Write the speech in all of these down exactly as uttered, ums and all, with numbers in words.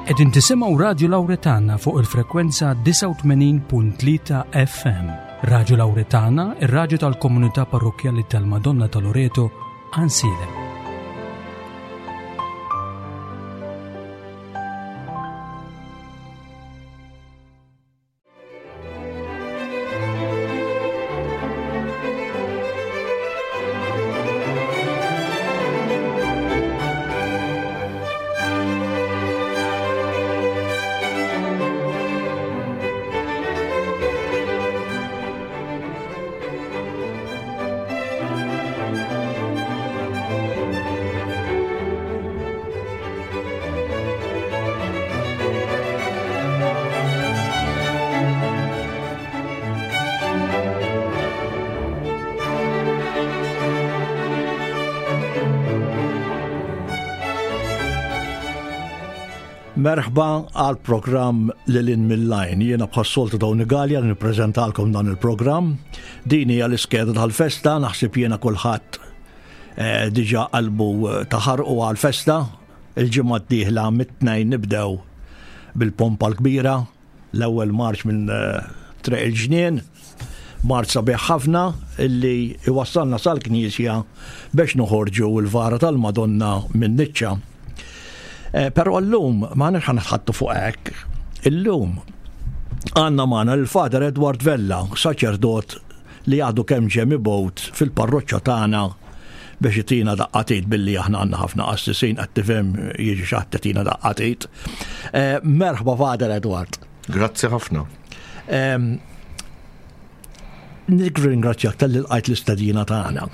Qegħdin tisimgħu Radju Lawretana fuq il-frekwenza disgħa u tmenin punt tlieta F M. Radju Lawretana, ir-radju tal-Komunità Parrokkjali tal-Madonna ta' Loreto, Għajnsielem. Merħba għal programm Lil Hinn mill-Għajn. Jiena bħas-soltu Tony Gallia nippreżentalkom dan il-programm. Din hija l-iskeda tal-festa, naħseb jiena kulħadd eh, diġà qalbu eh, taħarqu għal-festa. Il-ġimgħa d-dieħla mit-Tnejn nibdew bil-pompa l-kbira, l-ewwel marċ minn eh, Triq il-Ġnien, marċ sabiħ ħafna illi iwassalna sal-Knisja biex noħorġu l-vara tal-Madonna minn niċċa. Eh, Però llum ma nix ħanitħattu fuq hekk. Illum għandna magħna l-Father Edward Vella, saċerdot li għadu kemm ġie mibgħut fil-parroċċa tagħna biex itina daqqa t'id, billi aħna għandna ħafna qassisin, qed tifhem, jiġi xi ħadd itina daqqa t'id. Eh, Merħba, Father Edward. Grazzi ħafna. Em, Nirringrazzjak talli lqajt l-istedina tagħna.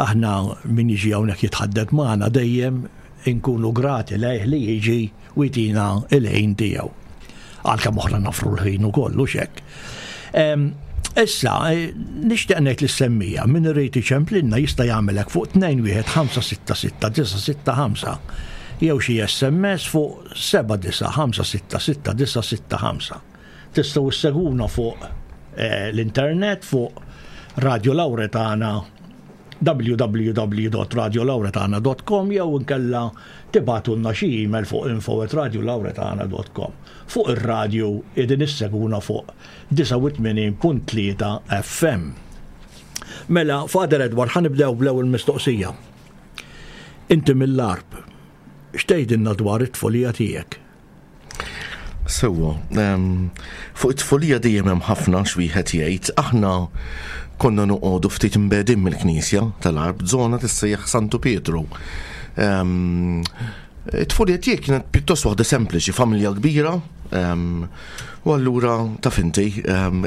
Aħna min jiġi hawnhekk jitħaddet magħna dejjem inkunu grati lejh li jiġi u jtina il-ħin tiegħu. Għalkemm oħra nafru l-ħin ukoll u xek. Em, Issa, eh, nixtieq ngħid lis-semmiegħa, min irid iċemplinna jista' jagħmelek fuq tnejn wieħed ħamsa sitta sitta disa' sitta ħamsa jew xi S M S fuq seba' disa' ħamsa sitta sitta disa' sitta ħamsa. Tistgħu issegwuna fuq eh, l-internet fuq Radio Lauretana, w w w punt radiolauretana punt com, jew inkella tibagħtulna xi email fuq info at radiolauretana punt com. Fuq ir-radju qegħdin issegwuna fuq disgħa u tmenin punt tlieta F M. Mela, Father Edward, ħa nibdew bl-ewwel mistoqsija. Inti mill-Għarb, x'tgħidilna dwar it-tfulija tiegħek? Sewwa, em, fuq it-tfulija dejjem hemm ħafna x'wieħed jgħid. Aħna konna noqogħdu ftit imbegħdin mill-Knisja tal-Għarb, żona tissejjaħ Santu Pietru. Em, It-tfulija tiegħi kienet pjuttost waħda sempliċi, familja kbira, em, u allura taf inti em,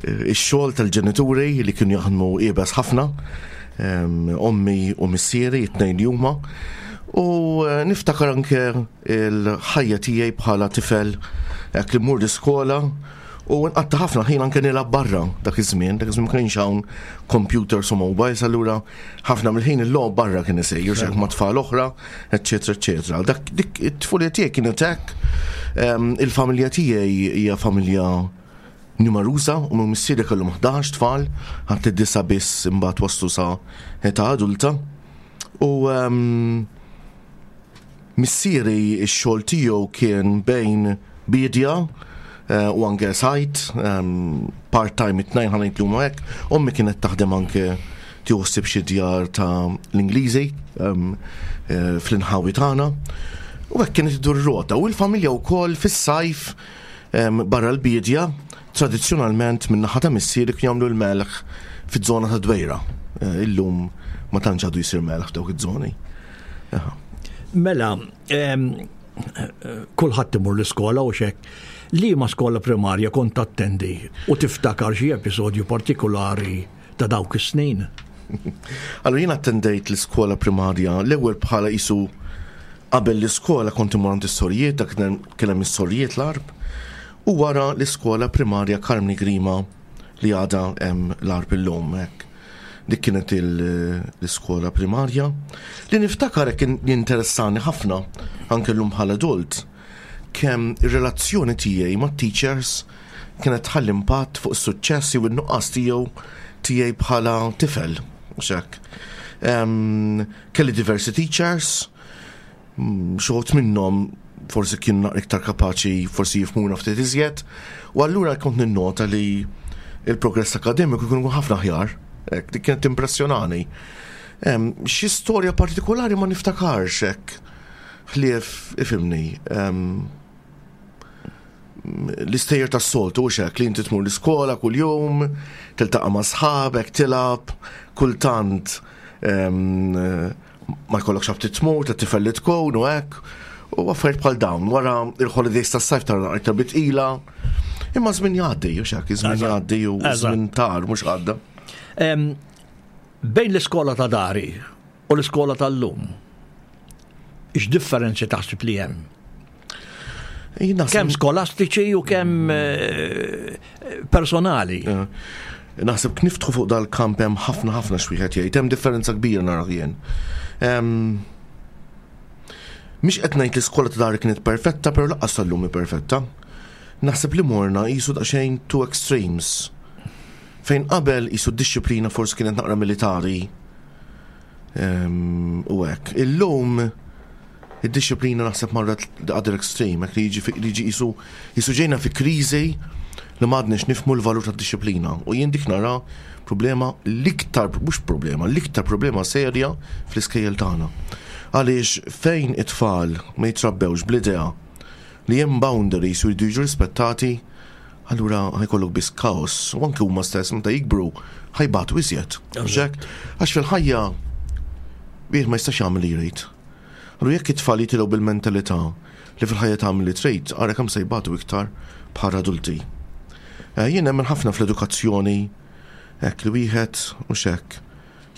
ix-xogħol tal-ġenituri li kienu jaħdmu iebes ħafna, em, ommi u missieri, it-tnejn li huma. U eh, niftakar anke il-ħajja tiegħi bħala tifel hekk li mmur l-iskola u nqatta' ħafna ħin anke nilgħab barra dak iż-żmien, dak iż-żmien ma kienx hawn computers u mobiles, allura ħafna mill-ħin il-logħob barra kien isir, xek ma' tfal oħra, eċetera, eċetera. Dak dik it-tfulija tiegħi kienet hekk. Em, Il-familja tiegħi hija familja numeruża u minn missieri kellhom ħdax tfal, ħadd id-disa biss imbagħad waslu sa età adulta. U em, missieri x-xogħol tiegħu kien bejn bidja eh, u anke sajt, em, part-time it-tnejn, ħa ngħid hekk. Ommi kienet taħdem anke tieħu ħsieb xi djar ta' l-Ingliżi em, eh, fl-inħawi tagħna. U hekk kienet iddur rota u l-familja wkoll fis-sajf em, barra l-bidja, tradizzjonalment minn naħa ta' missieri kienu jagħmlu l-melħ fiż-żona ta' Dwejra. Eh, Illum ma tantx għadu jsir melħ f'dawk iż-żoni. Aha. Mela, em, kulħadd imur l-iskola u xek. Liema skola primarja kont attendi u tiftakar xi episodju partikolari ta' dawk is-snin? Allora, jien attendejt l-iskola primarja l-ewwel bħala isu qabel l-iskola kont imur għand is-sorijiet, dak kien kien hemm is-sorijiet l-Għarb. U wara l-iskola primarja Karmni Grima li għadha hemm l-Għarb illum hekk. Dik kienet il- l-iskola primarja. Li niftakar kien jinteressani ħafna anke llum bħala adult, kemm ir-relazzjoni tiegħi mat-teachers kienet tħalli impatt fuq is-suċċess jew in-nuqqas tiegħu tiegħi bħala tifel. Mhux hekk. Em, Kelli diversi teachers, mm, xi wħud minnhom Forsi kienu naqra iktar kapaċi, forsi jifhmuna ftit iżjed. U allura kont ninnota li il-progress akademiku jkun ħafna aħjar. Hekk, dik kienet impressjonani. Em, Xi storja partikolari ma niftakarx hekk. Ħlief, ifhimni, em, l-istejjer tas-soltu, u hekk li inti tmur l-iskola kuljum, tiltaqa' ma' sħabek, tilgħab, kultant em, ma jkollokx aptit tmur, ta' tifel li tkun u hekk, u affarijiet bħal dawn. Wara il-holidays tas-sajf tara iktar bitqila. Imma żmien jgħaddi, u hekk, żmien Eżatt. jgħaddi u Eżatt. żmien tar, mhux għadda. Em, Bejn l-iskola ta' dari u l-iskola tal-lum, x'differenzi taħseb li hemm? Jien naħseb- Kemm skolastiċi u kemm eh, personali. Eh, Naħseb kniftħu fuq dal-kamp hemm ħafna ħafna x'wieħed jgħid, hemm differenza kbira nara jien. Em, Mhix qed ngħid li l-iskola ta' dari kienet perfetta, però lanqas tal-lum hi perfetta. Naħseb li morna qisu daqsxejn two extremes. Fejn qabel qisu d-dixxiplina forsi kienet naqra militari. Em, U hekk. Illum id-dixxiplina naħseb marret the other extreme, hekk li jiġi fi- li jiġi qisu qisu ġejna fi kriżi li m'għadniex nifhmu l-valur tad-dixxiplina. U jien dik nara problema l-iktar, mhux problema, l-iktar problema serja fl-iskejjel tagħna. Għaliex fejn it-tfal ma jitrabbewx bl-idea li hemm boundaries u jridu jiġu rispettati, allura ħa jkollok biss kaos. U anke huma stess meta jikbru ħa jbatu iżjed. Hekk? Għax fil-ħajja wieħed ma jistax jagħmel li jrid. Allura jekk it-tfal jitilgħu bil-mentalità li fil-ħajja tagħmel li trid, ara kemm se jbatu iktar bħala adulti. Eh, Jien nemmen ħafna fl-edukazzjoni, hekk li wieħed mhux hekk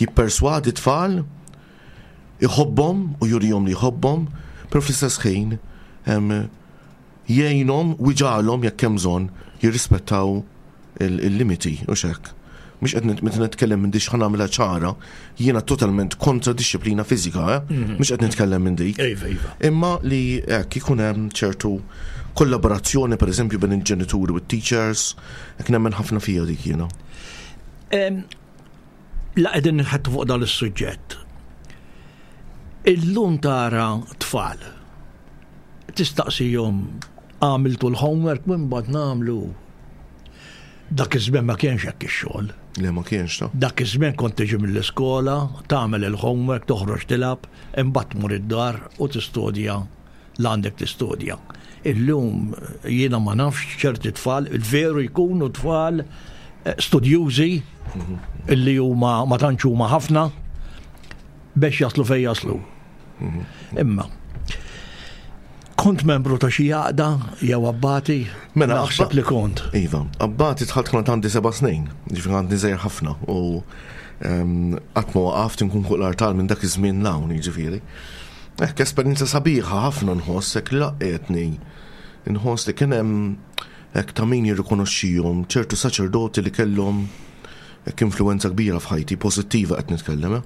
jipperswadi tfal, iħobbhom u jurihom li jħobbhom, però fl-istess ħin em, jgħinhom u jġagħalhom jekk hemm bżonn jirrispettaw il- il-limiti u hekk. Mhux qed meta nitkellem minn dik ħa nagħmilha ċara, jiena totalment kontra dixxiplina fiżika, eh? Mhux qed nitkellem minn dik. Iva, iva. Imma li hekk ikun hemm ċertu kollaborazzjoni pereżempju bejn il-ġenituri u t-teachers, hekk nemmen ħafna fija dik jiena. Em, La qegħdin nħattu fuq dan is-suġġett. Illum tara tfal. Tistaqsihom għamiltu l-homework minn bad nagħmlu. Dak iż-żmien ma kienx hekk ix-xogħol. Le ma kienx ta' Dak iż-żmien kont tiġi mill-iskola, tagħmel il-homework, toħroġ tilgħab, imbagħad tmur id-dar u tistudja l għandek tistudja. Illum jiena ma nafx ċerti tfal, il-veru jkunu tfal eh, studjużi illi huma ma tantx huma ħafna biex jaslu fejn jaslu. Imma kont membru ta' xi għaqda jew abbati, Mela, naħseb abba- li kont. Iva, abbati dħalt kont għandi seba' snin, ġifieri għandi żgħir ħafna u em, qatt ma waqaft nkun fuq l-artal minn dak iż-żmien 'l hawn, jiġifieri. Hekk esperjenza sabiħa ħafna nħoss hekk laqgħetni. Nħoss li kien hemm hekk ta' min jirrikonoxxihom ċertu saċerdoti li kellhom hekk influenza kbira f'ħajti, pożittiva qed nitkellem. eh.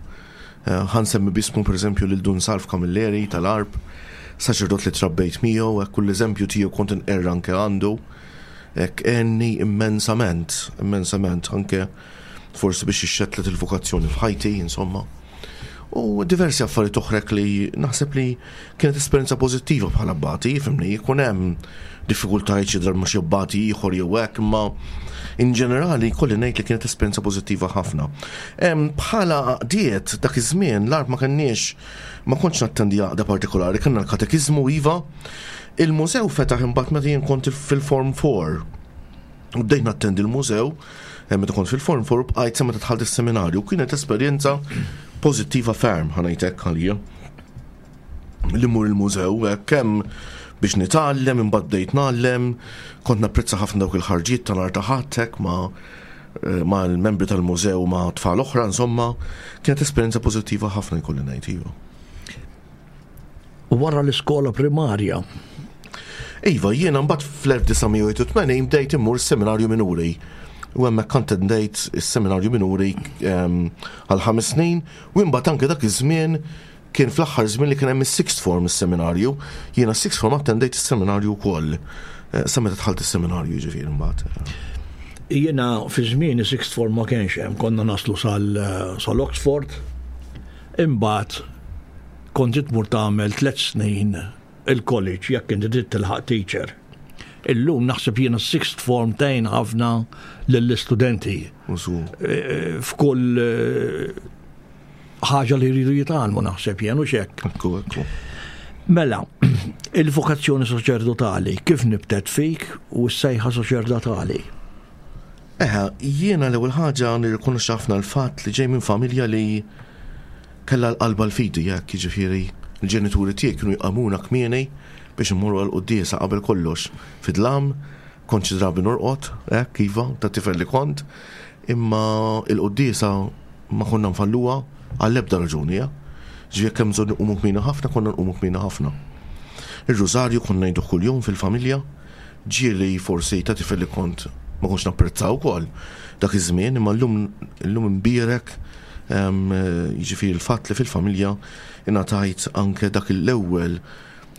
Eh, Ħa nsemmi b'ismu pereżempju lil Dun Salv Camilleri tal-Għarb, saċerdot li trabbejt miegħu, hekk kull eżempju tiegħu kont inqerra anke għandu. Hekk għenni immensament, immensament, anke forsi biex ixxettlet il-vokazzjoni f'ħajti, insomma. U diversi affarijiet oħra li naħseb li kienet esperjenza pożittiva bħala abbati, fhimni, jkun hemm diffikultajiet xi darba xi abbati ieħor jew hekk, imma in ġenerali kolli ngħid li kienet esperjenza pożittiva ħafna. Em, Bħala għaqdiet dak iż-żmien l-Għarb ma kenniex ma kontx nattendi għaqda partikolari, kellna l-katekiżmu iva. Il-mużew fetaħ imbagħad meta jien kont fil-Form four. U bdejt nattendi l-mużew, eh, meta kont fil-Form four bqajt sa meta dħalt is-seminarju. Kienet esperjenza pożittiva ferm, ħa ngħidlek għalija. Li mmur il-mużew, eh, kemm biex nitgħallem, imbagħad bdejt ngħallem, kont napprezza ħafna dawk il-ħarġiet ta' nhar ta' Ħadd hekk ma' eh, ma' l-membri tal-mużew ma' tfal oħra, insomma, kienet esperjenza pożittiva ħafna jkolli ngħid iva. U wara l-iskola primarja, Iva, jiena mbagħad fl-elf disa' mija u tmenin bdejt immur seminarju minuri. U hemmhekk kont bdejt is-seminarju minuri em, għal ħames snin u imbagħad anke dak iż-żmien kien fl-aħħar żmien li kien hemm is-sixth form is-seminarju. Jiena sixth form attendejt is-seminarju wkoll. Eh, Sa meta dħalt is-seminarju jiġifieri mbagħad. Jiena fi żmien sixth form ma kienx hemm, konna naslu sal sal-Oxford, imbagħad kont tmur tagħmel tliet snin il-college jekk inti trid tilħaq teacher. Illum naħseb jiena sixth form tgħin ħafna lill-istudenti Usu. eh, f'kull eh, ħaġa li jridu jitgħallmu naħseb jien u xek. Ekku, ekku. Mela, il-vokazzjoni saċerdotali kif nibtet fik u s-sejħa saċerdotali? Eħe, jiena l-ewwel ħaġa nirrikonoxxi ħafna l-fatt li ġej minn familja li kellha l-qalba l-fidi, jekk jiġifieri l-ġenituri tiegħi kienu jqajmuna kmieni biex immorru għal quddiesa qabel kollox. Fid-dlam, kont xi drabi norqod, hekk iva, ta' tifel li kont, imma il-quddiesa ma konna nfalluha għall-ebda raġuni, ja. Ġifieri jekk hemm bżonn nqumu kmieni ħafna, konna nqumu kmieni ħafna. Ir-rużarju konna ngħidu kuljum fil-familja, ġieli forsi ta' tifel li kont ma kontx napprezzaw ukoll dak iż-żmien, imma llum illum imbierek em, jiġifieri l-fatt li fil-familja ingħatajt anke dak l-ewwel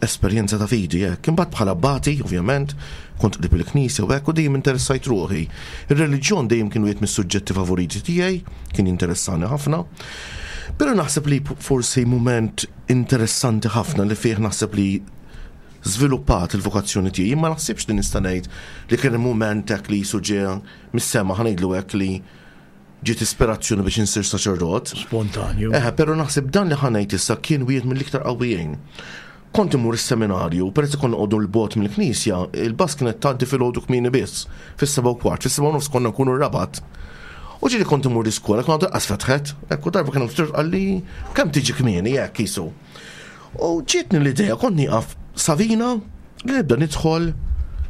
esperjenza ta' fidi hekk. Imbagħad bħala abbati, ovvjament, kont qrib il-knisja u hekk u dejjem interessajt ruħi. Ir-reliġjon dejjem kien wieħed mis-suġġetti favoriti tiegħi, kien jinteressani ħafna. Però naħseb li forsi moment interessanti ħafna li fih naħseb li żviluppat il-vokazzjoni tiegħi, ma naħsibx li nista' ngħid li kien hemm moment hekk li jisu ġie mis-sema ħa ngħidlu hekk li ġiet ispirazzjoni biex insir saċerdot. Spontanju. Eħe, però naħseb dan li ħa ngħid issa kien wieħed mill-iktar qawwijin. Kont imur is-seminarju, peress li konna noqogħdu 'l bogħod mill-knisja, il-bus kienet tgħaddi filgħodu kmieni biss, fis-seba' u kwart, fis-seba' u nofs konna nkunu r-Rabat. U ġieli kont imur l-iskola, kont għadha fetħet, ekku darba kien ftit qalli kemm tiġi kmieni hekk jisu. U ġietni l-idea kont nieqaf Savina li nibda nidħol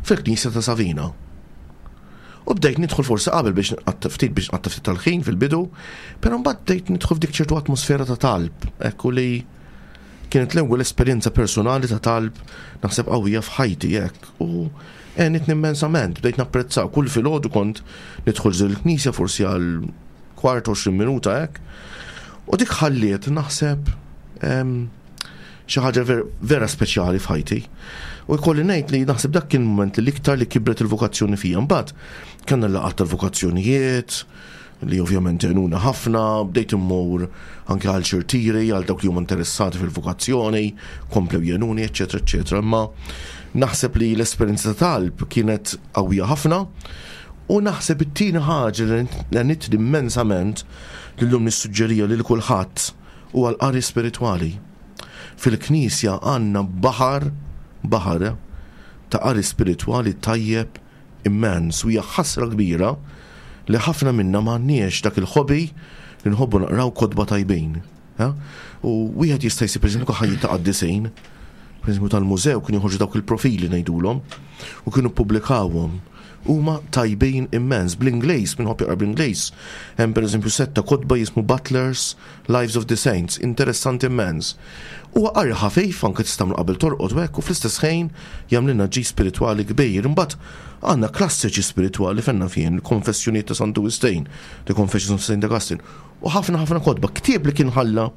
fil-knisja ta' Savina. U bdejt nidħol forsi qabel biex nqatta' ftit biex nqatta' ftit tal-ħin fil-bidu, però mbagħad bdejt nidħol f'dik ċertu atmosfera ta' talb, ekku li kienet l-ewwel esperjenza personali ta' talb naħseb qawwija f'ħajti hekk. U għenitni immensament, bdejt napprezzaw kull filgħodu kont nidħol ġol il-knisja forsi għal kwart għoxrin minuta hekk. U dik ħalliet naħseb em, xi ħaġa ver, vera speċjali f'ħajti. U jkolli ngħid li naħseb dak kien moment li l-iktar li kibret il-vokazzjoni fija. Mbagħad kellna laqgħat tal-vokazzjonijiet li ovvjament għenuna ħafna, bdejt immur anke għal xi rtiri, għal dawk li huma interessati fil-vokazzjoni, komplew jgħinuni, eċetera, eċetera. Imma naħseb li l-esperjenza ta' talb kienet qawwija ħafna u naħseb it-tieni ħaġa li għenitni immensament li llum nissuġġerija lil kulħadd huwa l-qari spiritwali. Fil-knisja għandna baħar, baħar eh, ta' qari spiritwali tajjeb immens u hija ħasra kbira li ħafna minna m'għandniex dak il-hobby li nħobbu naqraw kotba tajbin. eh? U wieħed jista' jsib pereżempju ħajja ta' qaddisin, pereżempju tal-mużew kienu joħorġu dawk il-profili ngħidulhom u kienu ppubblikawhom. Huma tajbin immens bl-Ingliż, min iħobb jaqra bl-Ingliż. Hemm pereżempju setta kotba jismu Butler's Lives of the Saints, interessanti immens. Huwa qari ħafif anke tista' qabel torqod u hekk u fl-istess ħin jagħmlilna ġid spiritwali kbir. Imbagħad għandna klassiċi spiritwali fenna fien, il-Konfessjonijiet ta' Santu Wistin, The Confessions of Saint Augustine. U ħafna ħafna kotba, ktieb li kien ħalla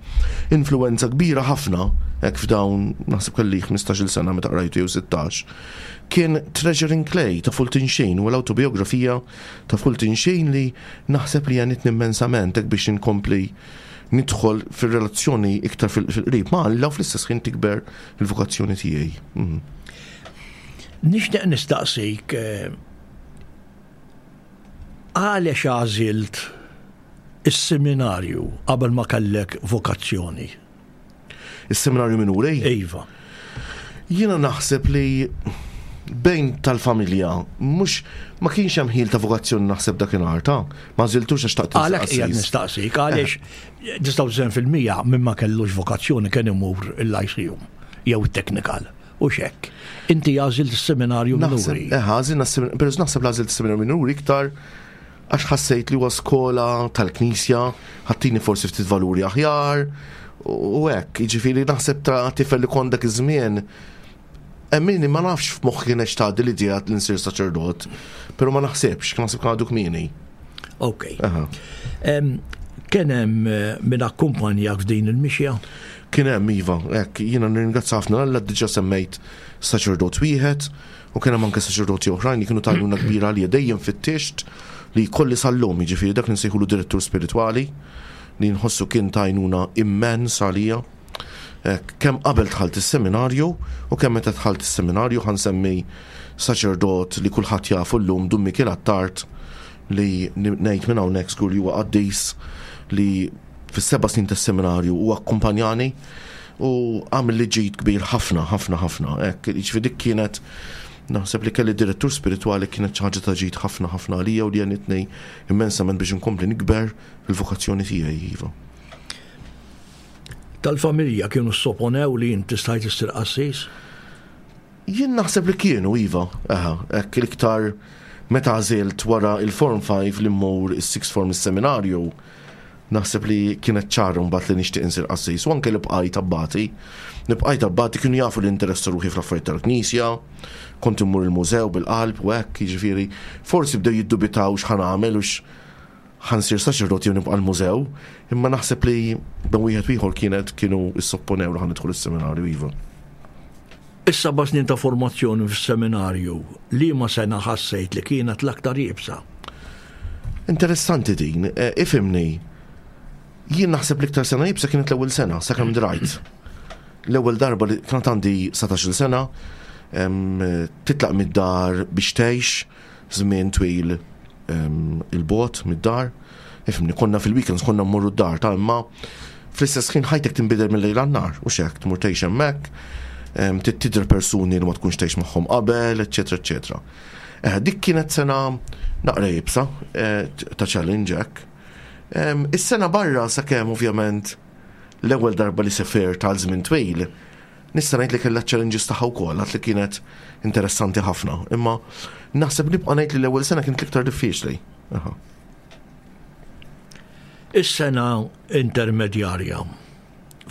influenza kbira ħafna, hekk f'dawn naħseb kelli ħmistax-il sena meta qrajtu jew sittax, kien Treasure in Clay ta' Fulton Sheen u l-autobiografija ta' Fulton Sheen li naħseb li għenitni immensament hekk biex inkompli nidħol fil-relazzjoni iktar fil-qrib ma' Alla u fl-istess ħin tikber il-vokazzjoni tiegħi. Mhm. Nixtieq nistaqsik eh, għaliex għażilt is-seminarju qabel ma kellek vokazzjoni? Is-seminarju minuri? Iva. Jiena naħseb li bejn tal-familja mhux ma kienx hemm ħil ta' vokazzjoni naħseb dakinhar ta' ma għażiltux għax xtaqt Għalhekk qiegħed nistaqsik għaliex disgħa u disgħin fil-mija minn ma kellux vokazzjoni kien imur il-Lyceum jew it-technical u xek. Inti għażilt is-seminarju minuri. Eh, għażilna però naħseb l-għażilt is-seminarju minuri iktar għax ħassejt li huwa skola tal-knisja, ħa ttini forsi ftit valuri aħjar, u hekk, jiġifieri naħseb ta' tifel li kont dak iż-żmien Emmini ma nafx f'moħħi kienx tgħaddi l-idea li nsir saċerdot, però ma naħsibx, kien naħseb kien għadu kmieni. Ok. Kien hemm eh, min akkumpanjak f'din il-mixja? Kien hemm iva, hekk, jiena nirringrazzja ħafna Alla diġà semmejt saċerdot wieħed u kien hemm anke saċerdoti oħrajn li kienu t'għajnuna kbira għalija dejjem fittixt li jkolli sal-lum, jiġifieri dak li nsejħulu direttur spiritwali li nħossu kien t'għajnuna immens għalija. Kemm qabel dħalt is-seminarju u kemm meta dħalt is-seminarju, ħa nsemmi saċerdot li kulħadd jafu llum, Dun Mikiel Attard, li ngħid minn hawnhekk żgur li huwa qaddis, li fis-seba' snin tas-seminarju huwa akkumpanjani u għamel li ġid kbir ħafna, ħafna, ħafna. Hekk, jiġifieri dik kienet, naħseb li kelli direttur spiritwali, kienet xi ħaġa ta' ġid ħafna ħafna għalija u li għenitni immensament biex inkompli nikber fil-vokazzjoni tiegħi, iva. Tal-familja kienu sopponew li inti stajt issir qassis? Jien naħseb li kienu, iva. Aha, hekk l-iktar meta għażilt wara il-Form five li mmur is-Sixth Form is-seminarju, naħseb li kienet ċara mbagħad li nixtieq insir qassis. U anke li bqajt abbati. Li bqajt abbati kienu jafu li interessa ruħi fl-affarijiet tal-Knisja, kont immur il-mużew bil-qalb u hekk, jiġifieri forsi bdew jiddubitaw x'ħa nagħmel u ħa nsir saċerdot jew nibqa' l-mużew, imma naħseb li bejn wieħed u ieħor kienet kienu issopponew li ħa nidħol is-seminarju, iva. Is-seba' snin ta' formazzjoni fis-seminarju, liema sena ħassejt li kienet l-aktar iebsa? Interessanti din, eh, ifhimni. Jien naħseb l-iktar sena iebsa kienet l-ewwel sena, sakemm drajt. L-ewwel darba li kienet għandi satax-il sena, em, titlaq mid-dar biex tgħix żmien twil, em, il-bogħod mid-dar. Ifhimni, konna fil-weekends konna mmorru d-dar ta' imma fl-istess ħin ħajtek tinbidel mill-lejl għan-nhar, u xek, tmur tgħix hemmhekk, em, tidher persuni li ma tkunx tgħix magħhom qabel, eċetera, eċetera. Eh, dik kienet sena naqra iebsa, eh, ta' challenge hekk. Em, Is-sena barra sakemm ovvjament l-ewwel darba li sefer tal żmien twil, nista' ngħid li kellha challenges tagħha wkoll, għad li kienet interessanti ħafna. Imma naħseb nibqa' ngħid li l-ewwel sena kienet l-iktar diffiċli. Aha. Is-sena intermedjarja,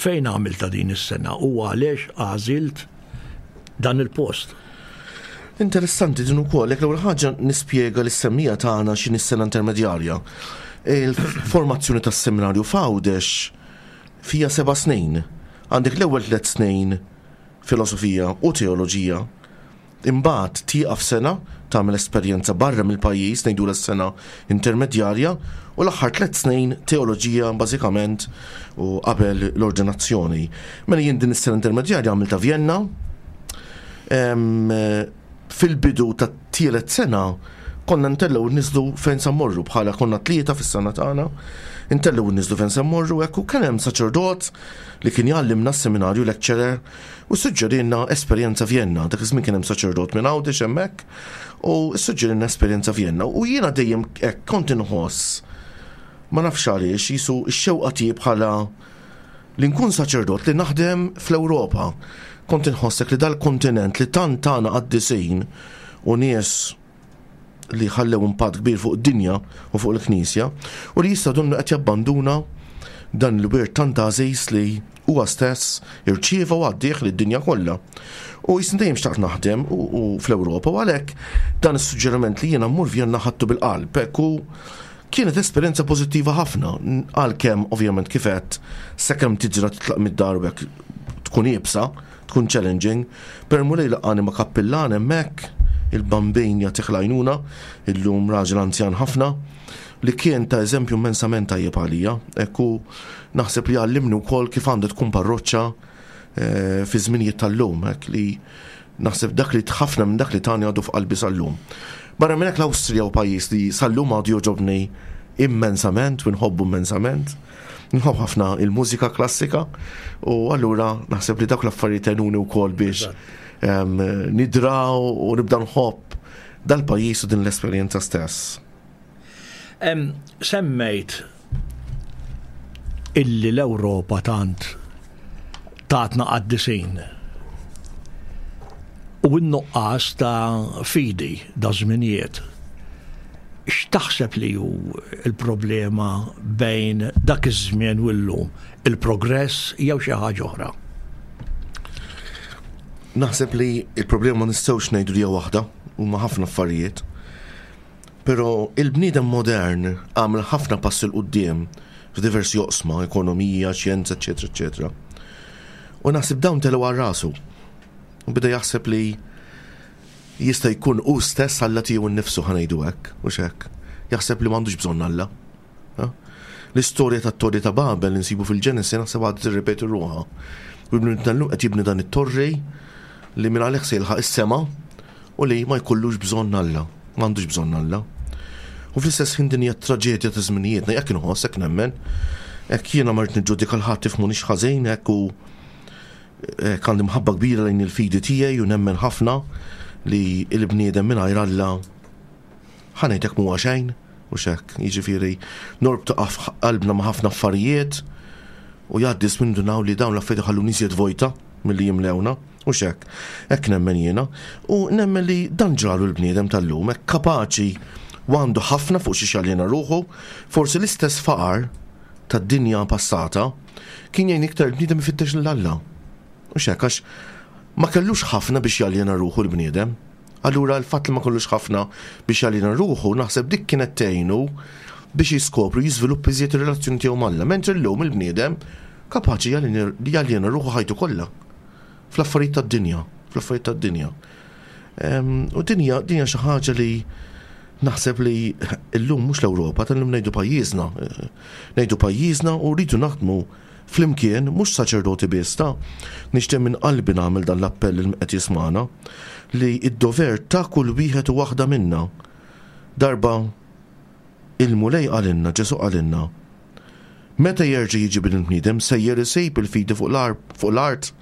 fejn għamilta din is-sena u għaliex għażilt dan il-post? Interessanti din ukoll, jekk l-ewwel ħaġa nispjega lis-semmiegħa tagħna x'inhi s-sena intermedjarja. Il-formazzjoni tas-seminarju f'Għawdex fija seba' snin. Għandek l-ewwel tliet snin filosofija u teoloġija. Imbagħad tieqaf sena tagħmel esperjenza barra mill-pajjiż, ngħidu s-sena intermedjarja, u l-aħħar tliet snin teoloġija bażikament u qabel l-ordinazzjoni. Mela jien din is-sena intermedjarja għamilta Vienna. Em, fil-bidu tat-tielet sena konna ntellgħu niżlu fejn sa mmorru, bħala konna tlieta fis-sena tagħna, ntellgħu niżlu fejn sa mmorru hekk, u kien hemm saċerdot li kien jgħallimna s-seminarju, lecturer, u suġġerilna esperjenza Vienna. Dak iż-żmien kien hemm saċerdot minn Għawdex hemmhekk u suġġerilna esperjenza Vienna. U jiena dejjem hekk kont inħoss, ma nafx għaliex, jisu x-xewqa tiegħi bħala li nkun saċerdot li naħdem fl-Ewropa. Kont inħossek li dal-kontinent li tant tana qaddisin u nies li ħallew impatt kbir fuq id-dinja u fuq il-Knisja, u li jista' donnu qed jabbanduna dan il-wirt tant għażiż li huwa stess irċieva u għaddih lid-dinja kollha. U jisni dejjem xtaqt naħdem u, u fl-Ewropa, u għalhekk dan is-suġġeriment li jiena mmur Vienna ħadtu bil-qalb. Hekk, u kienet esperjenza pożittiva ħafna, għalkemm ovvjament kif għedt sakemm tiġra titlaq mid-dar u hekk tkun iebsa, tkun challenging, per Mulej laqani ma' kappillan hemmhekk, il-Bambin jagħtih l-għajnuna, illum raġel anzjan ħafna, li kien ta' eżempju immensament tajjeb għalija. Ekku naħseb li għallimni wkoll kif għandha tkun parroċċa, eh, fi żminijiet tal-lum, hekk li naħseb dak li ħafna minn dak li tani għadu f'qalbi sal-lum. Barra minn hekk l-Awstrija u pajjiż li sal-lum għadu jogħġobni immensament u nħobbu immensament. Nħobb ħafna il-mużika klassika u allura naħseb li dawk l-affarijiet għenuni wkoll biex em, nidraw u nibda nħobb dal-pajjiż u din l-esperjenza stess. Em, semmejt illi l-Ewropa tant tatna qaddisin u n-nuqqas ta' fidi da' żminijiet. X'taħseb li hu il-problema bejn dak iż-żmien u llum? Il-progress jew xi ħaġa oħra? Naħseb li il-problema ma nistgħux ngħidu li hija waħda, huma ħafna affarijiet. Però il-bniedem modern għamel ħafna passi 'l quddiem f'diversi oqsma, ekonomija, xjenza, eċetera, eċetera. U naħseb dawn telgħu għal rasu. U beda jaħseb li jista' jkun hu stess Alla tiegħu nnifsu, ħa ngħidu hekk, u hekk. Jaħseb li m'għandux bżonn Alla. Ha? L-istorja tat-Torri ta' Babel li nsibu fil-Ġenesi naħseb għadha tirrepeti ruħha. U l-bniedem tal-lum qed jibni dan it-torri li minn għalih se jilħaq is-sema u li ma jkollux bżonn Alla, m'għandux bżonn Alla. U fl-istess ħin din hija traġedja ta' żminijietna, jekk inħoss hekk nemmen, hekk jiena ma rrid niġġudika 'l ħadd tifhmunix ħażin hekk u hekk għandi mħabba kbira lejn il-fidi tiegħi u nemmen ħafna li l-bniedem mingħajr Alla ħa ngħidlek mhuwa xejn u xek, jiġifieri norbtu qalbna ma' ħafna affarijiet u jgħaddi żmien nindunaw li dawn l-affarijiet iħalluna iżjed vojta milli jimlewna u xek. Hekk nemmen jiena u nemmen li dan ġralu l-bniedem tal-lum, hekk kapaċi u għandu ħafna fuq xi jaljena ruħu, forsi l-istess faqar tad-dinja passata kien jgħin iktar il-bniedem ifittex lil Alla. U xek, għax ma kellux ħafna biex jaljena ruħu l-bniedem. Allura l-fatt li ma kellux ħafna biex jaljena ruħu, naħseb dik kienet tgħinu biex jiskopru jiżviluppa iżjed ir-relazzjoni tiegħu m'Alla. Mentri llum il-bniedem kapaċi jaljena ruħu ħajtu kollha fl-affarijiet tad-dinja, fl-affarijiet tad-dinja. U dinja dinja xi ħaġa li naħseb li llum mhux l-Ewropa, tal-lum ngħidu pajjiżna. Ngħidu pajjiżna u rridu naħdmu flimkien, mhux saċerdoti biss ta' nixtieq minn qalbi nagħmel dan l-appell li qed jismana li id-dover ta' kull wieħed u waħda minna. Darba il-Mulej qalilna, Ġesu qalilna, meta jerġa' jiġi Bin il-bniedem sejjer isib il-fidi fuq l-art.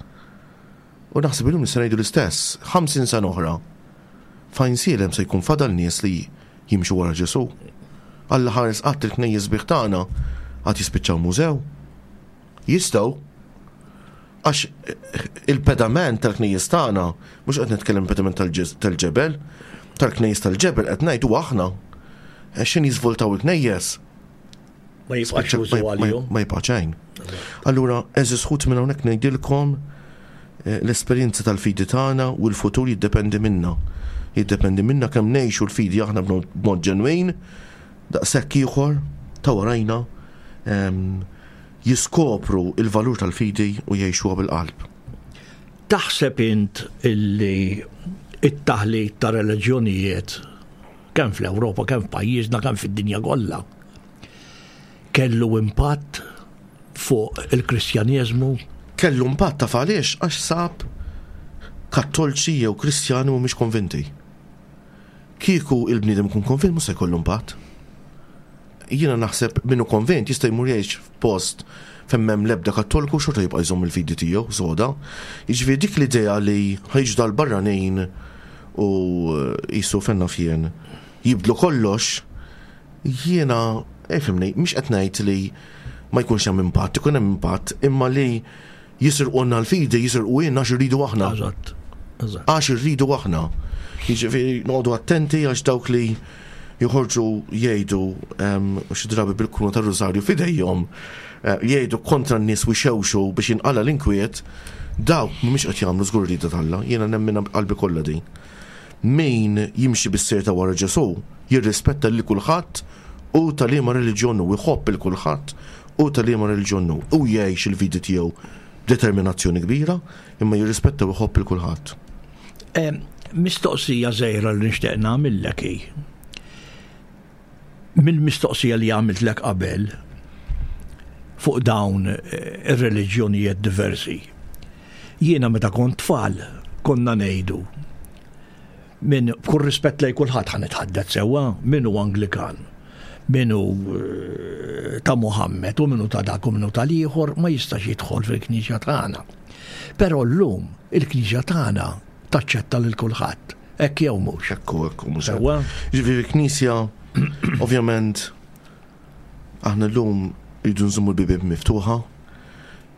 U naħseb illum nista' ngħidu l-istess, ħamsin sena oħra. Fejn sielem se jkun fadal nies li jimxu wara Ġesu. Alla ħares qatt il-knejjes sbieħ tagħna għad jispiċċaw mużew. Jistgħu għax il-pedament tal-knejjes tagħna, mhux qed nitkellem pedament tal-ġebel, tal-knejjes tal-ġebel qed ngħidu aħna. X'in jiżvoltaw il-knejjes? Ma jibqax użu għalihom. Ma jibqa' xejn. Allura, għeżież ħuti minn hawnhekk ngħidilkom l-esperjenza tal-fidi tagħna u l-futur jiddependi minna. Jiddependi minna kemm ngħixu l-fidi aħna b'mod ġenwin, daqshekk ieħor ta' warajna jiskopru il-valur tal-fidi u jgħixuha bil-qalb. Taħseb int illi it-taħlit ta' reliġjonijiet kemm fl-Ewropa, kemm f'pajjiżna, kemm fid-dinja kollha kellu impatt fuq il-Kristjaneżmu? Kellu impatt taf għaliex għax sab kattolċi jew Kristjani mhumiex konvinti. Kieku il-bniedem ikun konvint mhux se jkollu impatt. Jiena naħseb minnu konvint jista' jmur jgħix f'post fejn m'hemm l-ebda kattoliku xorta jibqa' jżomm il-fidi tiegħu soda. Jiġifieri dik l-idea li ħa jiġu dal-barranin u jisu fenna fjen jibdlu kollox, jiena, ifhimni, mhix qed ngħid li ma jkunx hemm impatt, ikun hemm impatt, imma li jisirqulna l-fidi, jisirqu għax irridu aħna. Eżatt. Għax irridu aħna. Jiġifieri noqogħdu attenti għax dawk li joħorġu jgħidu xi drabi bil-kuruna tar-Rużarju f'idejhom, jgħidu kontra n-nies u jxewxu biex jinqala l-inkwiet, dawk mhumiex qed jagħmlu żgur rieda t'Alla, jiena nemmen qalbi kollha din. Min jimxi bis-sir ta' wara Ġesu jirrispetta lil kulħadd u ta' liema reliġjon hu, jħobb il kulħadd u ta' liema reliġjon hu, u jgħix il-fidi tiegħu b'determinazzjoni kbira, imma jirrispetta u jħobb il kulħadd. Mistoqsija żgħira li nixtieq nagħmillek hi. Mill-mistoqsija li għamiltlek qabel fuq dawn ir-reliġjonijiet diversi. Jiena meta kont tfal konna ngħidu minn b'kull rispett lejn kulħadd ħa nitħaddet sewwa, min hu Anglikan, min hu ta' Muhammed u min hu ta' dak u min hu tal-ieħor ma jistax jidħol fil-knisja tagħna. Però llum il-knisja tagħna taċċetta lil kulħadd. Hekk jew mhux. Ekku, ekku, mhux. Sewwa. Jiġifieri knisja, ovvjament, aħna llum irridu nżommu l-bibien miftuħa,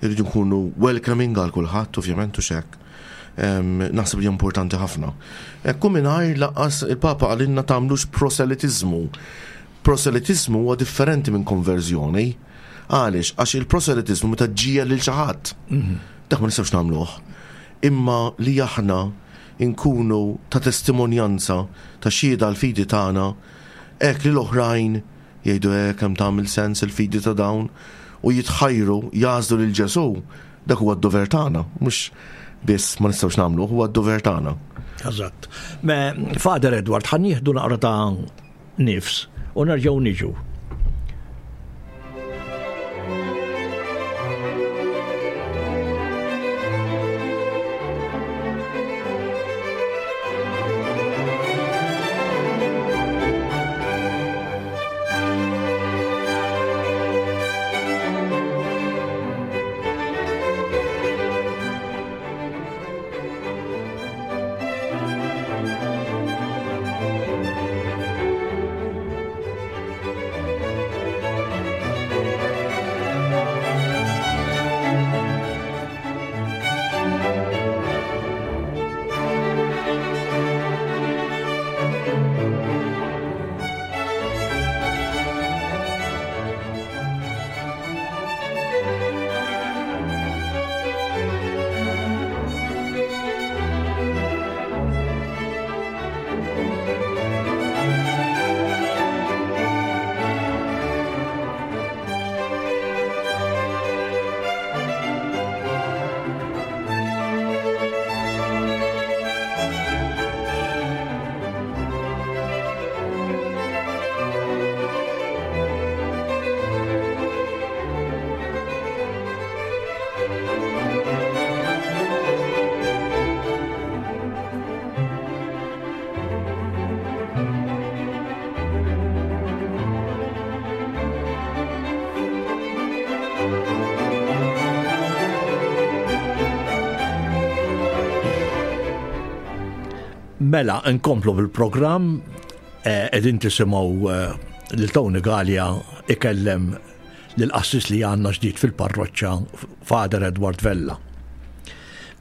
irridu nkunu welcoming għal kulħadd, ovvjament, u xek. Naħseb li importanti ħafna. Ekku mingħajr lanqas il-Papa qalilna tagħmlux proselitizmu. Proselitizmu huwa differenti minn konverżjoni. Għaliex? Għax il-proselitizmu meta ġġiegħel lil xi ħadd. Mhm. Dak ma nistgħux nagħmluh. Imma li aħna nkunu ta' testimonjanza ta' xhieda l-fidi tagħna, hekk li l-oħrajn jgħidu hekk kemm tagħmel sens il-fidi ta' dawn u jitħajru jagħżlu lil Ġesu, dak huwa d-dover tagħna, mhux biss ma nistgħux nagħmlu, huwa d-dover tagħna. Eżatt. Me Father Edward, ħa nieħdu naqra ta' nifs u nerġgħu niġu. Mela, nkomplu bil-programm, qegħdin tisimgħu lil Tony Galea ikellem lill-qassis li għandna ġdid fil-parroċċa, Father Edward Vella.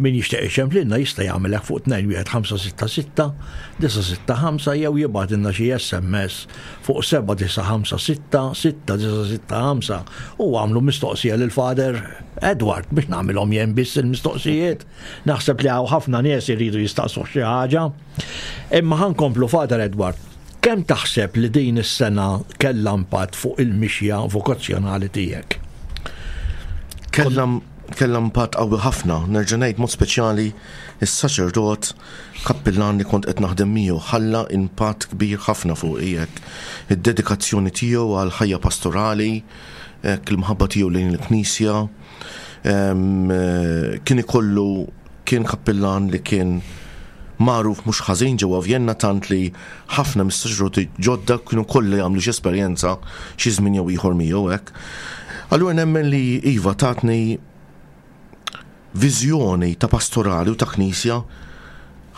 Min jixtieq iċemplilna jista' jagħmel hekk fuq tnejn wieħed ħamsa sitta sitta disa' sitta ħamsa jew jibgħatilna xi S M S fuq seba' disa' ħamsa sitta sitta disa' sitta ħamsa u għamlu mistoqsija lil Father Edward biex nagħmilhom jien biss il-mistoqsijiet. Naħseb li hawn ħafna nies iridu jistaqsu xi ħaġa. Imma ħa nkomplu, Father Edward. Kemm taħseb li din is-sena kellha impatt fuq il-mixja vokazzjonali tiegħek? Kellha kellha impatt qawwi ħafna, nerġa' ngħid mod speċjali is-saċerdot kappillan li kont qed naħdem miegħu ħalla impatt kbir ħafna fuq hekk. Id-dedikazzjoni tiegħu għal ħajja pastorali, hekk il-mħabba tiegħu lejn il-Knisja, em, kien ikollu kien kappillan li kien magħruf mhux ħażin ġewwa Vjenna, tant li ħafna mis-saċerdoti ġodda kienu kollha jagħmlu xi esperjenza xi żmien jew ieħor miegħu hekk. Allura nemmen li iva, tatni viżjoni ta' pastorali u ta' knisja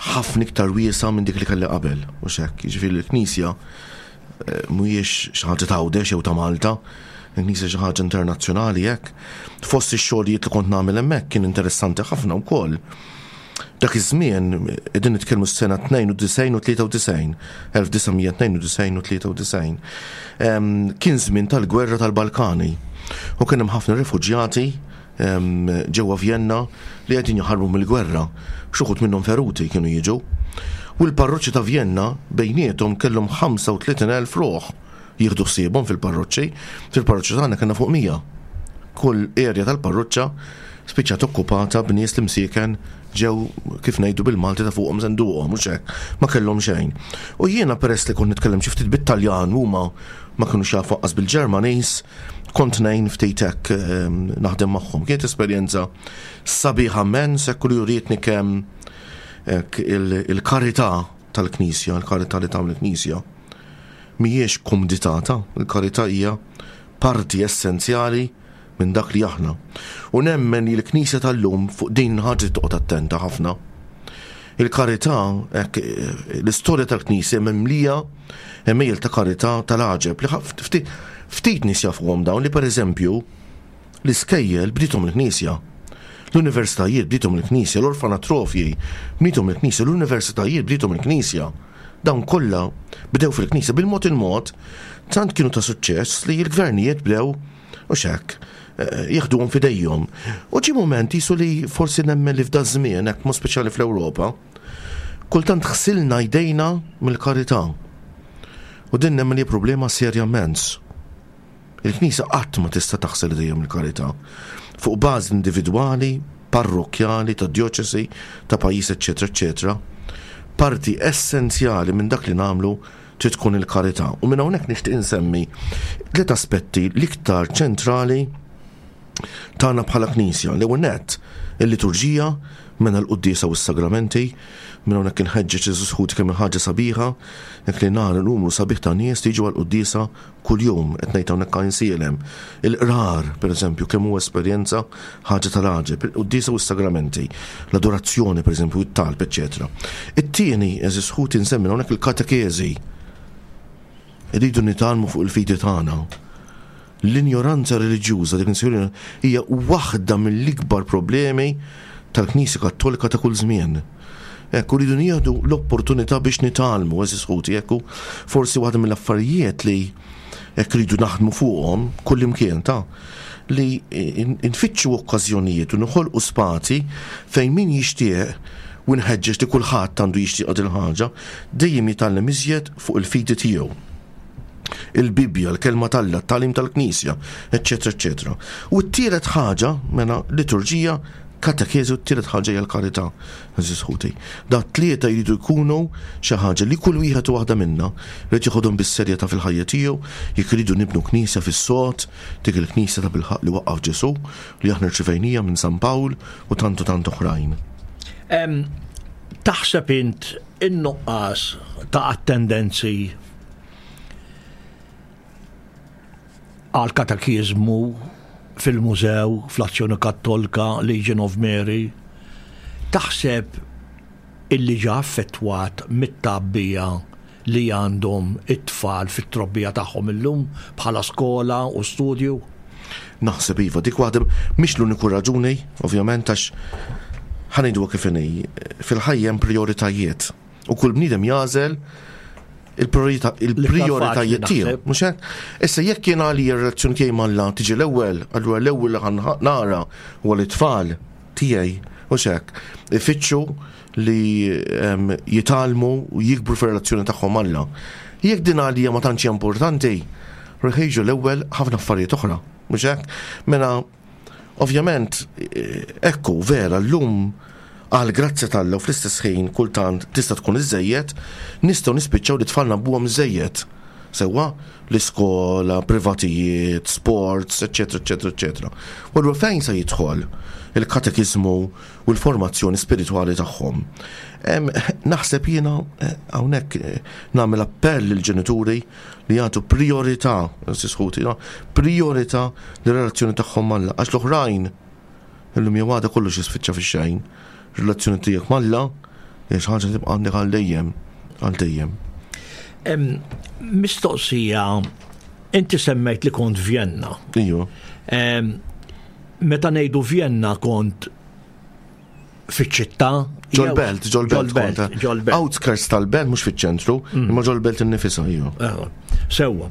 ħafna iktar wiesa minn dik li kelli qabel. U hekk, jiġifieri l-knisja eh, mhuwiex xi ħaġa ta' Għawdex jew ta' Malta, il-knisja xi ħaġa internazzjonali hekk. Fost ix-xogħlijiet li kont nagħmel hemmhekk kien interessanti ħafna wkoll. Dak iż-żmien qegħdin nitkellmu s-sena tnejn u disgħin u tlieta u disgħin, elf disa' mija tnejn u disgħin u tlieta u disgħin. Em, Kien żmien tal-gwerra tal-Balkani u kien hemm ħafna refuġjati em, ġewwa Vjenna li qegħdin jaħarbu mill-gwerra. Xi wħud minnhom feruti kienu jiġu. U l-parroċċi ta' Vjenna bejniethom kellhom ħamsa u tletin elf ruħ jieħdu ħsiebhom fil-parroċċi. Fil-parroċċi tagħna kellna fuq mija. Kull area tal-parroċċa spiċċat okkupata b'nies li msieken ġew, kif ngħidu bil-Malti, ta' fuqhom senduqhom, mhux hekk, ma kellhom xejn. U jiena, peress li kont nitkellem xi ftit bit-Taljan, huma ma kinux jafu anqas bil-Ġermaniż, kont ngħin ftit hekk ehm, naħdem magħhom. Kienet esperjenza sabiħa immens hekk li urietni kemm hekk il- il-karità tal-Knisja, il-karità li tagħmel il-Knisja, mhijiex kumdità, il-karità hija parti essenzjali minn dak li aħna. U nemmen li l-Knisja tal-lum fuq din ħaġa toqgħod attenta ħafna. Il-karità, hekk, l-istorja tal-Knisja mimlija għemejjel ta' karità tal-għaġeb li ħaf- ftit ftit nies jafuhom dawn, li pereżempju l-iskejjel bdithom il-Knisja. L-universitajiet bdithom il-Knisja, l-orfanatrofji bdithom il-Knisja, l-universitajiet bdithom il-Knisja. Dawn kollha bdew fil-Knisja bil-mod il-mod, tant kienu ta' suċċess li l-gvernijiet bdew u hekk eh, jieħduhom f'idejhom. U ġi moment jisu li forsi nemmen li f'da żmien, hekk mod speċjali fl-Ewropa, kultant ħsilna jdejna mill-karità. U din nemmen li problema serja immens. Il-Knisja qatt ma tista' taħsel idejha mill-karità. Fuq bażi individwali, parrokkjali, ta' djoċesi, ta' pajjiż, eċetera, eċetera. Parti essenzjali minn dak li nagħmlu trid tkun il-karità. U minn hawnhekk nixtieq insemmi tliet aspetti l-iktar ċentrali tagħna bħala Knisja. L-ewwel nett, il-liturġija, minn l-quddiesa u s-sagramenti. Minn hawnhekk inħeġġeġ, għeżież ħuti, kemm ħaġa sabiħa, jekk li nara numru sabiħ ta' nies li jiġu għall-quddiesa kuljum, qed ngħid hawnhekk Għajnsielem. Il-qrar, pereżempju, kemm huwa esperjenza ħaġa tal-għaġeb, il-quddiesa u s-sagramenti, l-adorazzjoni, pereżempju, it-talb, eċetera. It-tieni, għeżież ħuti, nsemmi hawnhekk il-katekeżi. Irridu nitgħallmu fuq il-fidi tagħna. L-injoranza reliġjuża, dik nsejħu, hija waħda mill-ikbar problemi tal-Knisja Kattolika ta' kull żmien. Ekku, rridu nieħdu l-opportunità biex nitgħallmu, għeżież ħuti, ekku, forsi waħda mill-affarijiet li hekk rridu naħdmu fuqhom kull imkien ta' li nfittxu okkażjonijiet u noħolqu spazji fejn min jixtieq, u nħeġġeġ li kulħadd għandu jixtieq il ħaġa, dejjem jitgħallem iżjed fuq il-fidi tiegħu. Il-Bibja, l-kelma t'Alla, t-tagħlim tal-Knisja, eċetera, eċetera. U t-tielet ħaġa, mela liturġija, katekeżi, u t-tielet ħaġa hija l-karità, għeżież ħuti. Da tlieta jridu jkunu xi ħaġa li kull wieħed u waħda minna jrid jieħodhom bis-serjetà fil-ħajja tiegħu jekk iridu nibnu knisja fis-sod, dik il-knisja ta' bilħaq li waqqaf Ġesù, li aħna rċivejnija minn San Pawl u tant u tant oħrajn. Em, Taħseb int in-nuqqas ta' attendenzi għal katekiżmu fil-mużew, fl-Azzjoni Kattolika, Legion of Mary, taħseb Illi ġa affettwat mit-tgħabbija li għandhom it-tfal fit-trobbija tagħhom illum bħala skola u studju? Naħseb iva, dik waħda mhix l-uniku raġuni, ovvjament, għax ħa ngħidu kif inhi, fil-ħajja hemm prioritajiet u kull bniedem jagħżel il-prioritajiet tiegħu, mhux hekk? Issa jekk jien għalija r-relazzjoni tiegħi m'Alla tiġi l-ewwel, allura l-ewwel li nara huwa l-tfal tiegħi, mhux hekk? Ifittxu li jitgħallmu u jikbru fir-relazzjoni tagħhom m'Alla. Jekk din għalija ma tantx importanti, jiġu l-ewwel ħafna affarijiet oħra, mhux hekk? Mela ovvjament, ekku vera llum għal grazzja t'Alla u fl-istess ħin kultant tista' tkun iżejjed, nistgħu nispiċċaw li tfal ngħabbuhom iżejjed. Sewwa l-iskola, privatijiet, sports, eċetera, eċetera, eċetera. U allura fejn se jidħol il-katekiżmu u l-formazzjoni spiritwali tagħhom? Naħseb jiena hawnhekk nagħmel appell lill-ġenituri li jagħtu priorità, sisħuti, priorità lir-relazzjoni tagħhom m'Alla, għax l-oħrajn illum jew għada kollox jispiċċa fix-xejn. Relazzjoni tiegħek m'Alla hija xi ħaġa tibqa' għandek għal dejjem, għal dejjem. Mistoqsija, inti semmejt li kont Vienna. Iju. Meta ngħidu Vienna kont fiċ-ċittà? Ġol-belt, ġol-belt. Ġol-belt. Outskirts tal-belt, mhux fiċ-ċentru, imma ġol-belt innifisha, iju. Sewwa.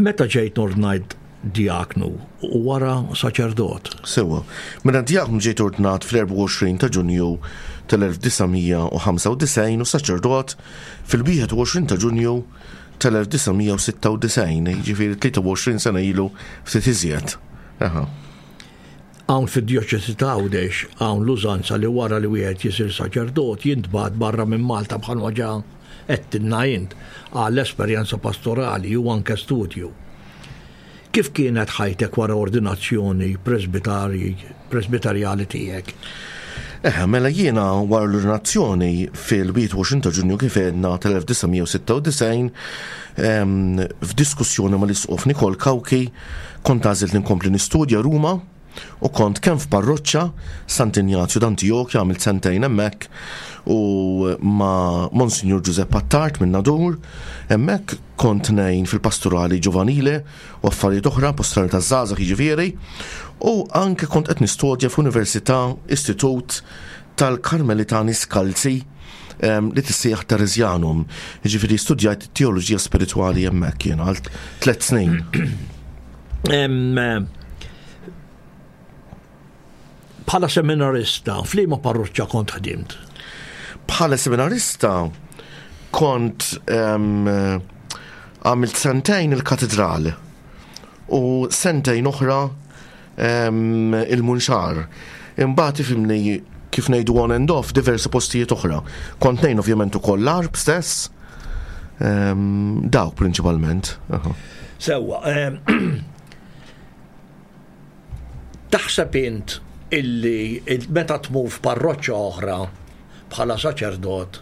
Meta ġejt ordnajt diaknu u wara saċerdot? Sewwa. Mela diaknu ġejt ordnat fl-erbgħa u għoxrin ta' Ġunju tal-elf disa' mija u ħamsa u disgħin u saċerdot fil-wieħed u għoxrin ta' Ġunju tal-elf disa' mija u sitta u disgħin, jiġifieri tlieta u għoxrin sena ilu ftit iżjed. Aha. Hawn fid-djoċesi ta' Għawdex hawn l-użanza li wara li wieħed jisir saċerdot jintbagħat barra minn Malta bħalma ġa għedtilna int għall-esperjenza pastorali u anke studju. Kif kienet ħajtek wara ordinazzjoni presbitarjali tiegħek? Eh, mela jiena wara l-ordinazzjoni fil-wieħed u għoxrin ta' Ġunju kif għedna tal-elf disa' mija u sitta u disgħin, ehm, f'diskussjoni mal-Isqof Nikol Cauchi kont għażilt li nkompli nistudja Ruma u kont kemm f'parroċċa Sant'Injazju d'Antiochia għamilt sentejn hemmhekk u ma' Monsignor Giuseppe Attard minn Nadur, hemmhekk kont ngħin fil-pastorali ġovanile u affarijiet oħra, pastorali taż-żgħażagħ jiġifieri, u anke kont qed nistudja f'Università Istitut tal-Karmelitani Skalzi, ehm, li tissejjaħ Teresianum. Jiġifieri studjajt teoloġija spiritwali hemmhekk jien għal tliet snin. Ehm, bħala seminarista, f'liema parroċċa kont ħdimt? Bħala seminarista kont, ehm, għamilt sentejn il-katedral u sentejn oħra, ehm, il-Munxar. Imbagħad ifhimni kif ngħidu on and off diversi postijiet oħra. Kont ngħin ovvjament ukoll l-Għarb stess, ehm, dawk prinċipalment. Aha. Sewwa, ehm, taħseb int illi meta tmur f'parroċċa oħra bħala saċerdot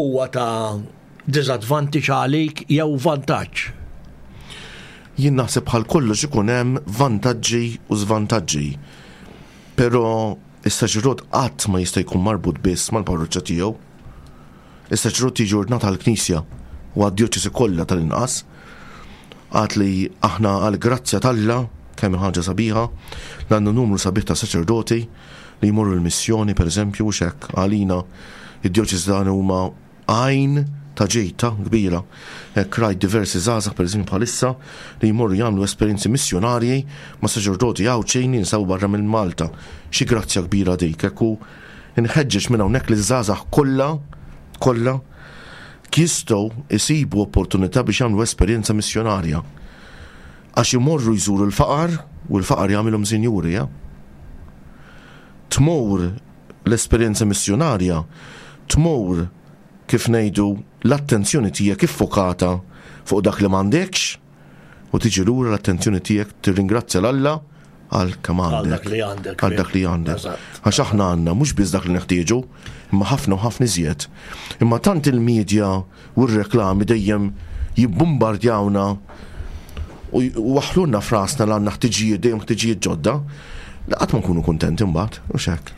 huwa ta' diżadvantaġġ għalik jew vantaġġ? Jien naħseb bħal kollox ikun hemm vantaġġi u żvantaġġi. Però is-saċerdot qatt ma jista' jkun marbut biss mal-parroċċa tiegħu. Is-saċerdot jiġi ordnat għall-Knisja u għad-djoċesi kollha tal-inqas. Għad li aħna għall-grazzja t'Alla kemm ħaġa sabiħa, għandna numru sabiħ ta' saċerdoti li jmorru l-missjoni, per eżempju, u xek, għalina id-djoċesi dan huma għajn ta' ġejta kbira. Hekk rajt diversi żgħażagħ, per eżempju, bħalissa li jmorru jagħmlu esperjenzi missjonarji ma' saċerdoti Għawdxin jinsabu barra minn Malta. Xi grazzja kbira dik, hekk u nħeġġeġ minn hawnhekk li żgħażagħ kollha, kollha jistgħu jsibu opportunità biex jagħmlu esperjenza missjonarja. Għax imorru jżuru l-faqar u l-faqar jagħmilhom sinjuri, ja? Tmur l-esperjenza missjonarja, tmur kif ngħidu l-attenzjoni tiegħek iffokata fuq dak li m'għandekx u tiġi lura l-attenzjoni tiegħek tirringrazzja 'l Alla għal kemm Għal għandek. dak li għandek. Għal dak li għandek. Eżatt. Għax aħna għandna mhux biss dak li neħtieġu, imma ħafna u ħafna iżjed. Imma tant il-medja u r-reklami dejjem jibbombardjawna u j-, u waħlulna frasna li għandna ħtiġijiet, dejjem ħtiġijiet ġodda, li qatt ma nkunu kuntenti mbagħad, u x'hekk.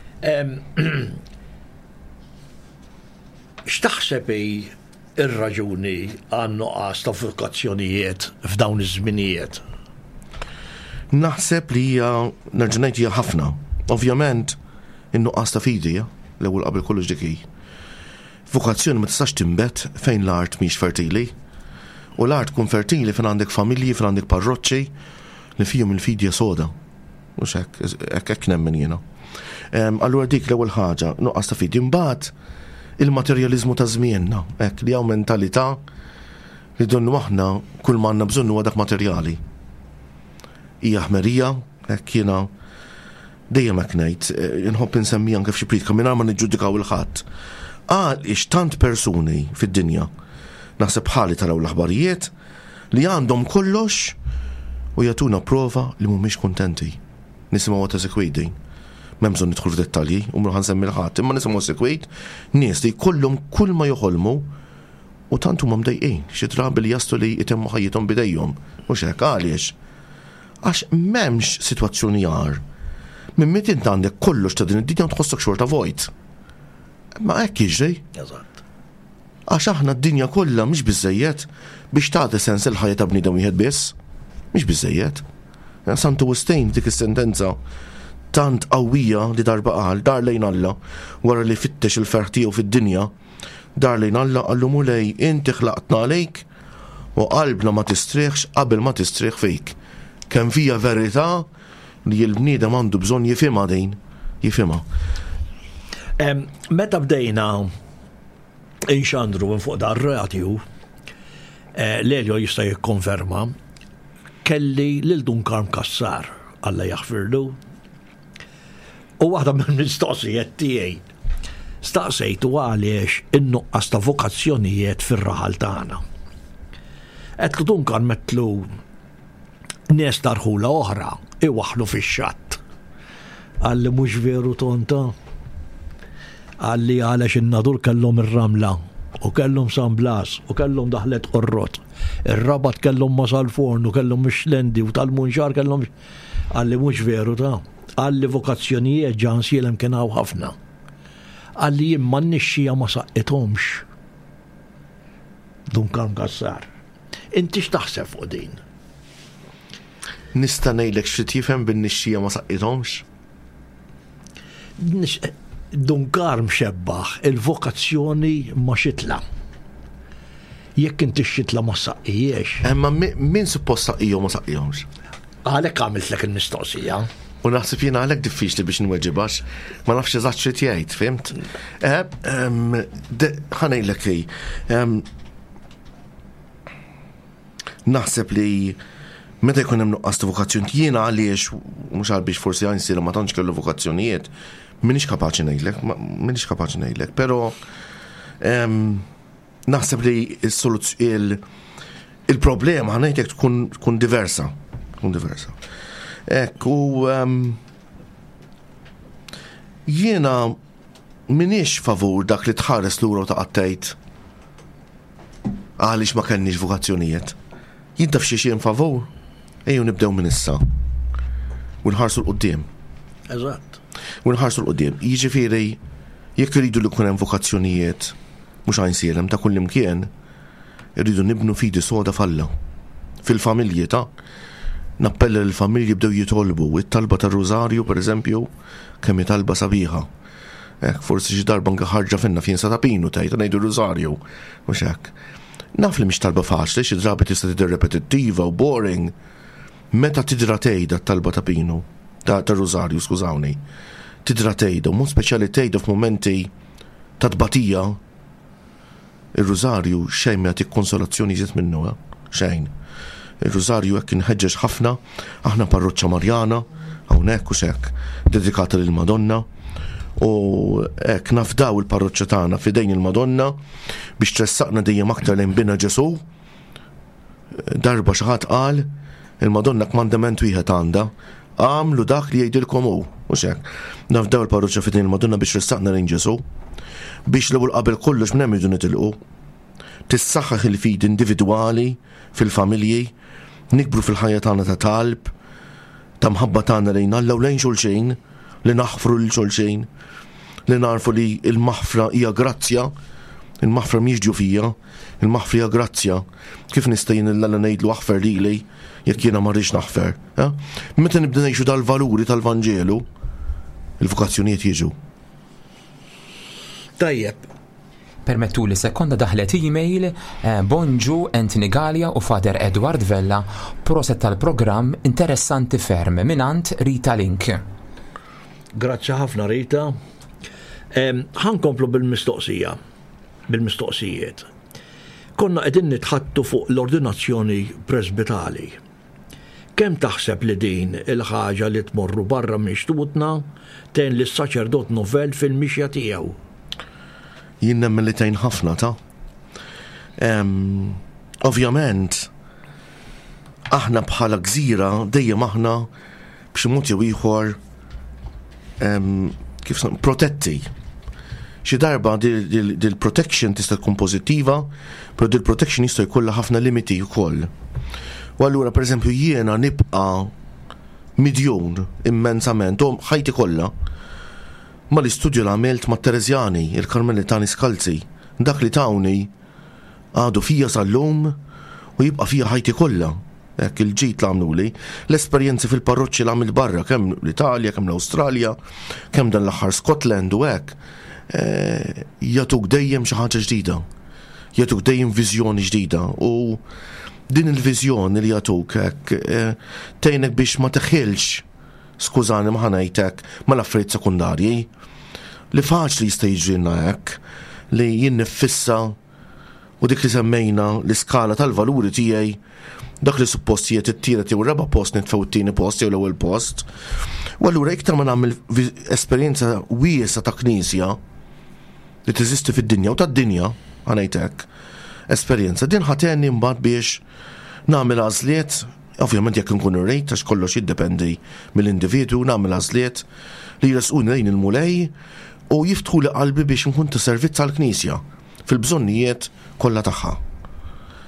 X'taħseb hi ir-raġuni għan-nuqqas ta' vokazzjonijiet f'dawn iż-żminijiet? Naħseb li hija, nerġa' ngħid, hija ħafna. Ovvjament, in-nuqqas ta' fidi, l-ewwel qabel kollox dik hi. Vokazzjoni ma tistax tinbet fejn l-art mhix fertili. U l-art tkun fertili fejn għandek familji, fejn għandek parroċċi li fihom il-fidi soda. Mhux hekk, hekk hekk nemmen jiena. Allura dik l-ewwel ħaġa, nuqqas ta' fidi. Imbagħad il-materjaliżmu ta' żmienna, hekk li hawn mentalità li donnu aħna kull ma għandna bżonn huwa dak materjali. Hija ħmerija, hekk jiena dejjem hekk ngħid, inħobb insemmi anke f'xi priedka mingħajr ma niġġudikaw il-ħadd. Għaliex tant persuni fid-dinja, naħseb bħali taraw l-aħbarijiet, li għandhom kollox u jagħtuna prova li mhumiex kuntenti. Nisimgħu ta' sikwit din. M'hemm bżonn nidħol f'dettalji u mhux ħa nsemmi 'l ħadd, imma nisimgħu sikwit nies li jkollhom kull ma joħolmu u tant huma mdejqin, xi drabi li jaslu li jtemmu ħajjithom b'idejhom. Mhux hekk, għaliex? Għax m'hemmx sitwazzjoni agħar. Minn meta int għandek kollox ta' din id-dinja u tħossok xorta vojt. Ma hekk jiġri. Eżatt. Għax aħna d-dinja kollha mhix biżejjed biex tagħti sens il-ħajja ta' bniedem wieħed biss. Mhix biżejjed. Santu Wistin dik is-sentenza tant qawwija li darba qal, dar lejn Alla, wara li fittex il-ferħ tiegħu fid-dinja, dar lejn Alla qallu: "Mulej, inti ħlaqtna għalejk u qalbna ma tistrieħx qabel ma tistrieħ fik." Kemm fija verità li l-bniedem għandu bżonn jifhimha din, jifhimha. Meta bdejna inxandru minn fuq dar radio, eh, Lelio jista' jikkonferma, kelli lil Dun Karm Cassar, Alla jaħfirlu. U waħda mill-mistoqsijiet tiegħi staqsejtu għaliex in-nuqqas ta' vokazzjonijiet fir-raħal tagħna. Għedtlu: "Dun Karm," għedtlu, "nies ta' rħula oħra iwaħħlu fix-xatt." Qalli: "Mhux veru tonta." Qalli: "Għaliex in-Nadur kellhom ir-Ramla u kellhom San Blas u kellhom Daħlet Qorrot. Ir-Rabat kellhom Marsalforn u kellhom Mixlendi u tal-Munxar kellhom." Qalli: "Mhux veru ta'." Qalli: "Vokazzjonijiet Għajnsielem kien hawn ħafna." Qalli: "Imma n-nixxija ma saqqithomx." Dun Karm Cassar. Inti x'taħseb fuq din? Nista' ngħidlek xi tifhem bin-nixxija ma saqqithomx? Dun Karm xebbaħ il-vokazzjoni ma' xitla. Jekk inti x-xitla ma saqqijiex. Imma min suppost saqqijhom ma saqqijhomx? Għalhekk għamiltlek il-mistoqsija. U naħseb jiena għalhekk diffiċli biex nweġibax, ma nafx eżatt xi tgħid, fimt? Ħa ngħidlek li naħseb li meta jkun hemm nuqqas ta' vokazzjoni, jiena għaliex mhux għal biex forsi Għajnsielem ma tantx kellu vokazzjonijiet, m'iniex kapaċi ngħidlek, m'iniex kapaċi ngħidlek, però naħseb li il-problema ħa ngħidlek tkun diversa, tkun diversa. Ekk, u jiena m'iniex favur dak li tħares lura u taqgħod tgħid għaliex ma kellniex vokazzjonijiet. Jien taf xi xejn favur, ejjew nibdew minn issa. U nħarsu 'l quddiem. Eżatt. U nħarsu 'l quddiem. Jiġifieri jekk iridu li jkun hemm vokazzjonijiet mhux Għajnsielem ta' kull imkien, irridu nibnu fidi soda f'Alla. Fil-familji ta' nappella li l-familji bdew jitolbu, it-talba tar-Rużarju pereżempju, kemm hi talba sabiħa. Hekk forsi xi darba anke ħarġa finna fejn sa tapinu tgħid ngħidu Rużarju, mhux hekk. Naf li mhix talba faċli, xi drabi tista' tidher repetittiva u boring. Meta tidra tgħidha t-talba ta' Pinu, ta' Rużarju, skużawni, tidra tgħidha, u mod speċjali tgħidha f'mumenti ta' tbatija, ir-Rużarju xejn ma jagħtik konsolazzjoni iżjed minnu, eh? Xejn. Ir-Rużarju hekk inħeġġeġ ħafna, aħna parroċċa Marjana, hawnhekk u x'hekk, dedikata lil Madonna, u hekk nafdaw il-parroċċa tagħna f'idejn il-Madonna biex tressaqna dejjem aktar lejn bina Ġesù. Darba xi ħadd qal, il-Madonna kmandament wieħed għandha, għamlu dak li jgħidilkom hu, u x'hekk. Nafdaw il-parroċċa f'idejn il-Madonna biex tressaqna lejn Ġesù, biex l-ewwel qabel kollox minn hemm irridu nitilqu. Tissaħħaħ il-fidi individwali fil-familji, nikbru fil-ħajja tagħna ta' talb, ta' mħabba tagħna lejn Alla u lejn xulxin, li naħfru lil xulxin, li narfu li l-maħfra hija grazzja, il-maħfra mhijiex djufija, il-maħfra hija grazzja. Kif nista' jien lil Alla ngħidlu aħfer lili jekk jiena ma rridx naħfer? Eh? Meta nibda ngħixu dal-valuri tal-Vanġelu, il-vokazzjonijiet jiġu. Tajjeb. Permettu li sekonda daħlet email, eh, Bonġu Anthony Galea u Father Edward Vella, proset tal-programm interessanti ferm minant Rita Link. Grazzi ħafna, Rita. Ħa nkomplu bil-mistoqsija, bil-mistoqsijiet. Konna qegħdin nitħaddtu fuq l-ordinazzjoni presbitali. Kemm taħseb li din il-ħaġa li tmorru barra minn xtutna tgħin lis-saċerdot novell fil-mixja tiegħu? Jien nemmen li tgħin ħafna ta'. Ovvjament, aħna bħala gżira dejjem aħna b'xi mod jew ieħor kif protetti. Xi darba dil-protection tista' tkun pożittiva, però dil-protection jista' jkollha ħafna limiti wkoll. U allura, pereżempju, jiena nibqa' midjun immensament, u ħajti kollha, ma l-istudju li għamilt ma' Terezjani, il-Karmelitani Skalzi, dak li tawni għadu fija sal-lum u jibqa' fija ħajti kollha. Hekk il-ġid li għamluli, l-esperjenzi fil-parroċċi li għamilt barra, kemm l-Italja, kemm l-Awstralja, kemm dan l-aħħar Scotland u hekk, eh, jagħtuk dejjem xi ħaġa ġdida. Jagħtuk dejjem viżjoni ġdida u din il-viżjoni li jagħtuk hekk eh, tgħinek biex ma teħilx, skużani ma ħa ngħidlek, mal-affarijiet sekundarji, li faċli jista' jiġrilna hekk, li jien niffissa u dik li semmejna l-iskala tal-valuri tiegħi, dak li suppost jiet it-tielet jew raba' post nitfgħu t-tieni post jew l-ewwel post. U allura iktar ma nagħmel esperjenza wiesa ta' knisja li teżisti fid-dinja u tad-dinja, ħa ngħidlek, esperjenza din ħa tgħinni mbagħad biex nagħmel għażliet, ovvjament jekk nkun irrid, għax kollox jiddependi mill-individwu, nagħmel għażliet li jresquni lejn il-Mulej u jiftħu li qalbi biex nkun ta' servizz għall-Knisja fil-bżonnijiet kollha tagħha.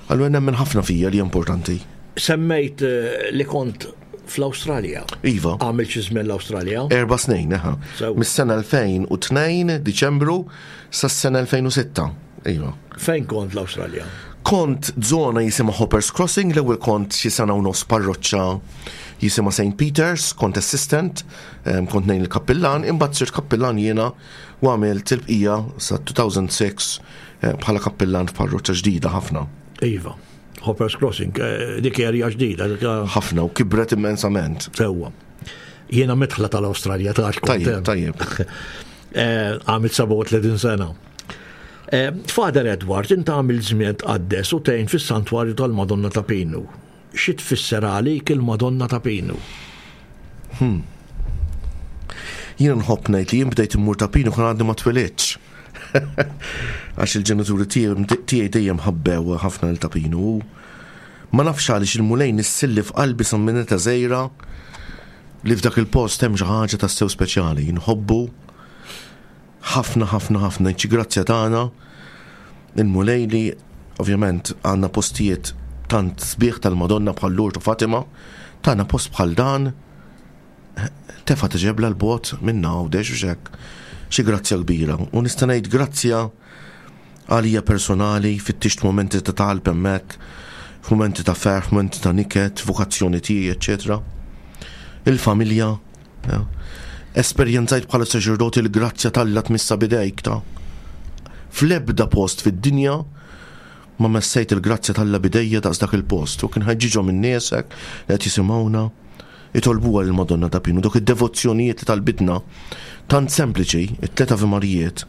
Allura nemmen ħafna fija li importanti. Semmejt eh, li kont fl-Awstralja. Iva. Għamil xi żmien l-Awstralja? Erba' snin, eħa. Mis-sena elfejn u tnejn, Diċembru, sas-sena elfejn u sitta. Iva. Fejn kont l-Awstralja? Kont zona jisimha Hoppers Crossing, l-ewwel kont xi sena u nofs parroċċa jisimha Saint Peters, kont assistant, em, kont ngħin il-kappillan, imbagħad sirt kappillan jiena u għamilt il-bqija sa two thousand six, eh, bħala kappillan f'parroċċa ġdida ħafna. Iva, Hoppers Crossing, eh, dik erja ġdida, dik hija Ħafna u kibret immensament. Sewwa. Jiena mitħla tal-Awstralja, ta' għax kont Tajjeb, hemm. tajjeb. Eh, għamilt sebgħa u tletin sena. Eh, Father Edward, inta għamil żmien tqaddes u tgħin fis-santwarju tal-Madonna ta' Pinu. Xi tfisser għalik il-Madonna ta' Pinu? Hmm. Jiena nħobb ngħid li jien bdejt immur ta' Pinu kien għadni ma twilidx. Għax il-ġenituri tiegħi, tiegħi dejjem ħabbew ħafna lil ta' Pinu. Ma nafx għaliex il-Mulej nissilli f'qalbi sa minn età żgħira li f'dak il-post hemm xi ħaġa tassew speċjali. Nħobbu ħafna, ħafna, ħafna. Xi grazzja tagħna il-Mulej li ovvjament għandna postijiet tant sbieħ tal-Madonna bħal Lourdes u Fatima, tagħna post bħal dan tefa' tiġebla l-bot minna u dex u xek. Xi grazzja kbira. U nista' ngħid grazzja għalija personali, fittixt momenti ta' talb hemmhekk, f'mumenti ta' ferħ, f'mumenti ta' niket, vokazzjoni tiegħi, eċċetera. Il-familja, ja. Esperjenzajt bħala saċerdoti l-grazzja t'Alla tmissa bidejk ta' fl-ebda post fid-dinja ma messejt il-grazzja t'Alla bidejja daqs dak il-post. U kien ħeġġiġhom in-niesek li qed jisimgħuna itolbuha lil Madonna ta' Pinu. Dok id-devozzjonijiet li talbitna tant sempliċi, it-tliet Ave Marijiet,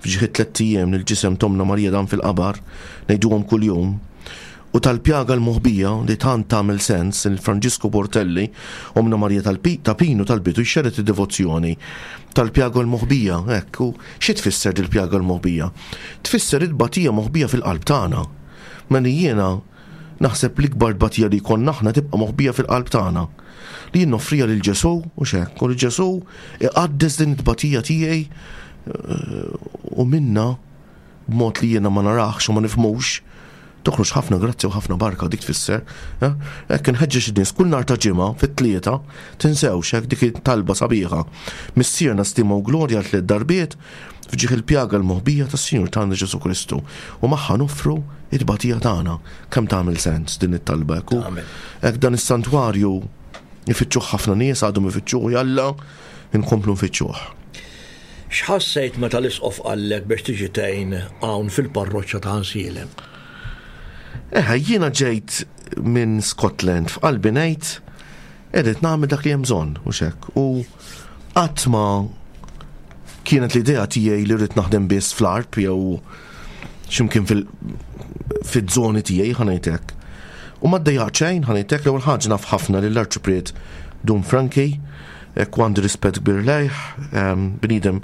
f'ġieħ it-tliet ijiem li l-ġisem tomna Marija dan fil-qabar, ngħiduhom kuljum, u tal-pjaga l-moħbija li tant tagħmel sens il Franġisku Portelli, omna Marija tal-Pi-, ta' Pinu tal-bitu jxerred id-devozzjoni tal-pjaga l-moħbija, hekk, u xi tfisser dil-pjaga l-moħbija? Tfisser it-tbatija moħbija fil-qalb tagħna. Mela jiena naħseb l-ikbar tbatija li jkollna aħna tibqa' moħbija fil-qalb tagħna. Li jien noffrija lil Ġesù u x'hekk, u li Ġesù iqaddes din it-tbatija tiegħi, eh, u minna b'mod li jiena ma naraħx u ma nifhmux Toħroġ ħafna grazzja u ħafna barka dik tfisser. Eh? Hekk inħeġġeġ in-nies kull nhar ta' ġimgħa fit-tlieta tinsewx hekk dik it-talba sabiħa. Missierna stima u glorja tliet darbiet f'ġieħ il-pjaga l-moħbija tas-Sinjur tagħna Ġesu Kristu u magħha noffru it-tbatija tagħna. Kemm tagħmel sens din it-talba hekk. Hekk dan is-santwarju ifittxuh ħafna nies għadhom ifittxuh jalla inkomplu nfittxuh. X'ħassejt meta l-isqof qallek biex tiġi tgħin hawn fil-parroċċa ta' Għajnsielem? Eħe, jiena ġejt minn Scotland f'qalbi ngħid irrid nagħmel dak li hemm bżonn u hekk. U qatt ma kienet l-idea tiegħi li rrid naħdem biss fl-Għarb jew x'imkien fil-żoni tiegħi ħa ngħidlek. U ma ddejjaqt xejn ħa ngħidlek l-ewwel ħaġa naf ħafna lill-Arċipriet Dun Franki, hekk għandi rispett kbir lejh, bniedem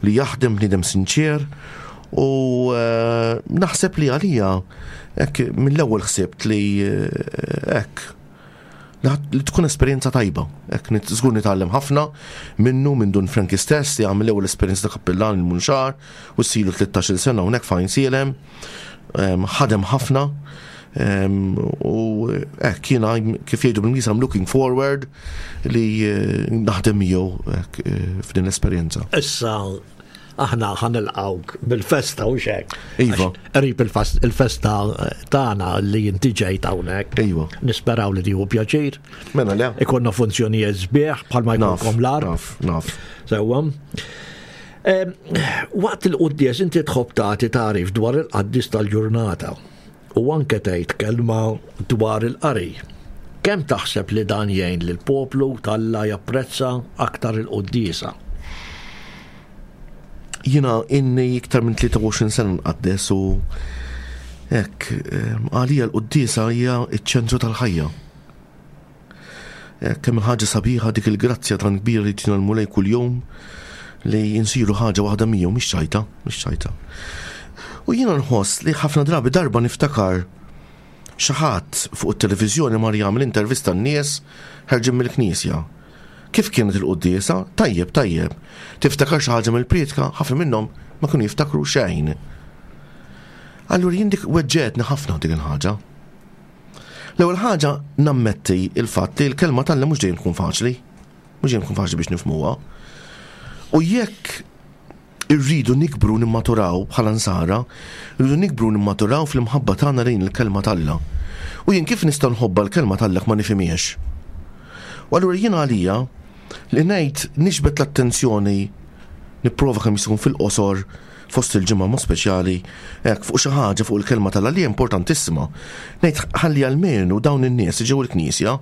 li jaħdem, bniedem sinċer, u eh, naħseb li għalija hekk mill-ewwel ħsibt li hekk li tkun esperjenza tajba. Hekk żgur nitgħallem ħafna minnu minn Dun Franki stess li għamel l-ewwel esperjenza ta' kappillan il-Munxar u ssilu tlettax-il sena hawnhekk f'Għajnsielem. Ħadem ħafna u hekk jiena kif jgħidu bil-Ingliż I'm looking forward li eh, naħdem miegħu eh, f'din l-esperjenza. Issa aħna ħa nilqgħuk bil-festa u hekk. Iva. Qrib il-festa tagħna li inti ġejt hawnhekk. Iva. Nisperaw li tieħu pjaċir. Mela le. Ikollna funzjonijiet sbieħ bħalma jkollkom l-Għarb. Naf, naf. Sewwa. Waqt il-quddies inti tħobb tagħti tagħrif dwar il-qaddis tal-ġurnata u anke tgħid kelma dwar il-qari. Kemm taħseb li dan jgħin lil poplu t'Alla japprezza aktar il-quddiesa? Jiena ili iktar minn tlieta u għoxrin sena nqaddes u hekk għalija l-quddiesa hija ċ-ċentru tal-ħajja. Kemm ħaġa sabiħa dik il-grazzja tan kbira li tina l-Mulej kuljum li nsiru ħaġa waħda miegħu, mhix ċajta, mhix ċajta. U jiena nħoss li ħafna drabi darba niftakar xi ħadd fuq it-televiżjoni mar jagħmel intervista n-nies ħerġin mill-knisja. Kif kienet il-quddiesa? Tajjeb, tajjeb. Tiftakar xi ħaġa mill-prietka, ħafna minnhom ma kienu jiftakru xejn. Allura jien dik weġġetni ħafna dik il-ħaġa. L-ewwel ħaġa nammetti il-fatt li l-kelma t'Alla mhux dejjem tkun faċli, mhux dejjem tkun faċli biex nifhmuha. U jekk irridu nikbru nimmaturaw bħala nsara, irridu nikbru nimmaturaw fl-imħabba tagħna lejn il-kelma t'Alla. U jien kif nista' nħobba l-kelma t'Alla ma nifhimhiex? U allura jien għalija li ngħid nixbet l-attenzjoni nipprova kemm jista' jkun fil-qosor fost il-ġimgħa mod speċjali hekk fuq xi ħaġa fuq il-kelma t'Alla li importantissima. Ngħid ħalli almenu dawn in-nies li ġew il-knisja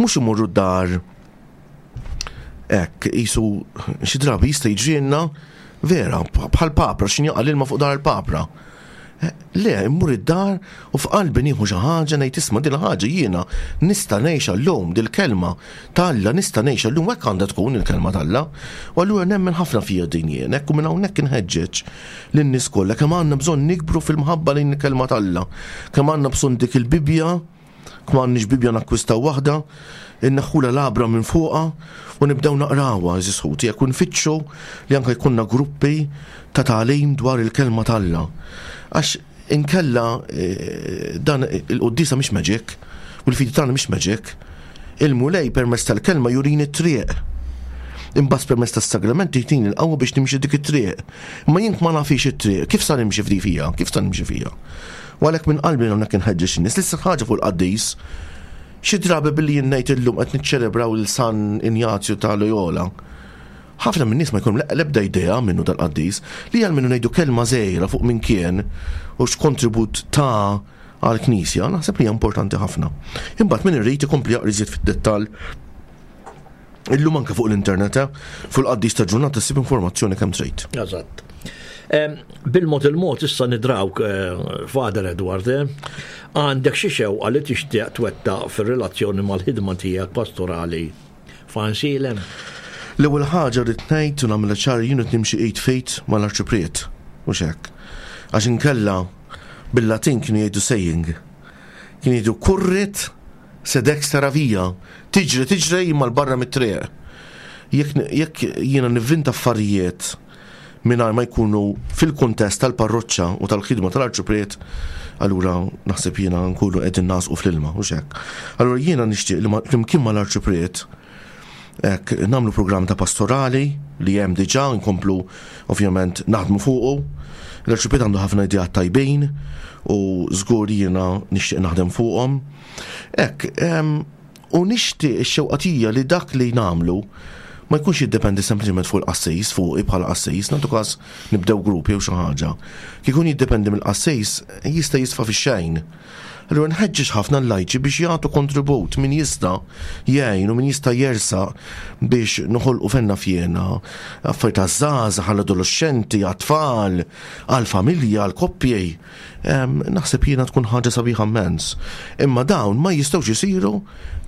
mhux imorru d-dar hekk qisu xi drabi jista' jiġrilna vera bħal papra x'inhi jaqa' l-ilma fuq dar il-papra. Le, immur id-dar u f'qalbi nieħu xi ħaġa ngħid isma' din ħaġa jiena nista' ngħixha llum dil-kelma t'Alla nista' ngħixha llum hekk għandha tkun il-kelma t'Alla. U allura nemmen ħafna fija din jien, hekk u minn hawnhekk inħeġġeġ lin-nies kollha kemm għandna bżonn nikbru fil-mħabba lejn il-kelma t'Alla, kemm għandna bżonn dik il-Bibbja, kemm għandniex Bibbja nakkwistaw waħda, inneħħula l-għabra minn fuqha u nibdew naqrawha għeżież ħuti, jekk nfittxu li anke jkollna gruppi ta' tagħlim dwar il-kelma t'Alla. Għax inkella, eh, dan il-quddiesa mhix magic u l-fidi tagħna mhix magic. Il-Mulej permezz tal-kelma jurini t-triq. Imbagħad permezz tas-sagramenti jtini l-qawwa biex nimxi dik it-triq. Imma jien ma nafix it-triq, kif sa nimxi fdi fija? Kif sa nimxi fija? U għalhekk minn qalbi hawnhekk inħeġġeġ in-nies. L-istess ħaġa fuq il-qaddis. Xi drabi billi jien ngħid illum qed niċċelebraw il San Injazju ta' Loyola. Ħafna minn nies ma jkunu l-ebda idea minnu dal-qaddis li għal minnu ngħidu kelma żgħira fuq min kien u x'kontribut ta' għall-Knisja, naħseb li hija importanti ħafna. Imbagħad min irid ikompli jaqra iżjed fid-dettall illum anke fuq l-internet, eh, fuq il-qaddis ta' ġurnata ssib informazzjoni kemm trid. Eżatt. Em, bil-mod il-mod issa nidrawk, eh, Father Edward, eh, għandek xi xewqa li tixtieq twettaq fir-relazzjoni mal-ħidma tiegħek pastorali f'Għajnsielem? L-ewwel ħaġa rrid ngħid u nagħmilha ċar jien qed nimxi id f'id mal-Arċipriet, mhux hekk. Għax inkella bil-Latin kienu jgħidu saying. Kienu jgħidu currit sed extra via, tiġri tiġri imma l-barra mit-triq. Jekk, jekk jiena nivvinta affarijiet mingħajr ma jkunu fil-kuntest tal-parroċċa u tal-ħidma tal-Arċipriet, Allura naħseb jiena nkunu qegħdin nasqu fl-ilma u hekk. Allura jiena nixtieq li flimkien mal-Arċipriet hekk nagħmlu programm ta' pastorali li hemm diġà, nkomplu ovvjament naħdmu fuqu. L-Arċipriet għandu ħafna ideat tajbin u żgur jiena nixtieq naħdem fuqhom. Hekk, u nixtieq ix-xewqa tiegħi li dak li nagħmlu ma jkunx jiddependi sempliċement fuq il-qassis, fuq bħala qassis, nagħtu każ nibdew grupp jew xi ħaġa. Kieku jiddependi mill-qassis jista' jisfa fix-xejn. Allura nħeġġeġ ħafna l-lajċi biex jagħtu kontribut, min jista' jgħin u min jista' jersaq biex noħolqu fenna fjena affarijiet għaż-żgħażagħ, għall-adolescenti, għat-tfal, għall-familja, għall-koppji. Naħseb jiena tkun ħaġa sabiħa immens. Imma dawn ma jistgħux isiru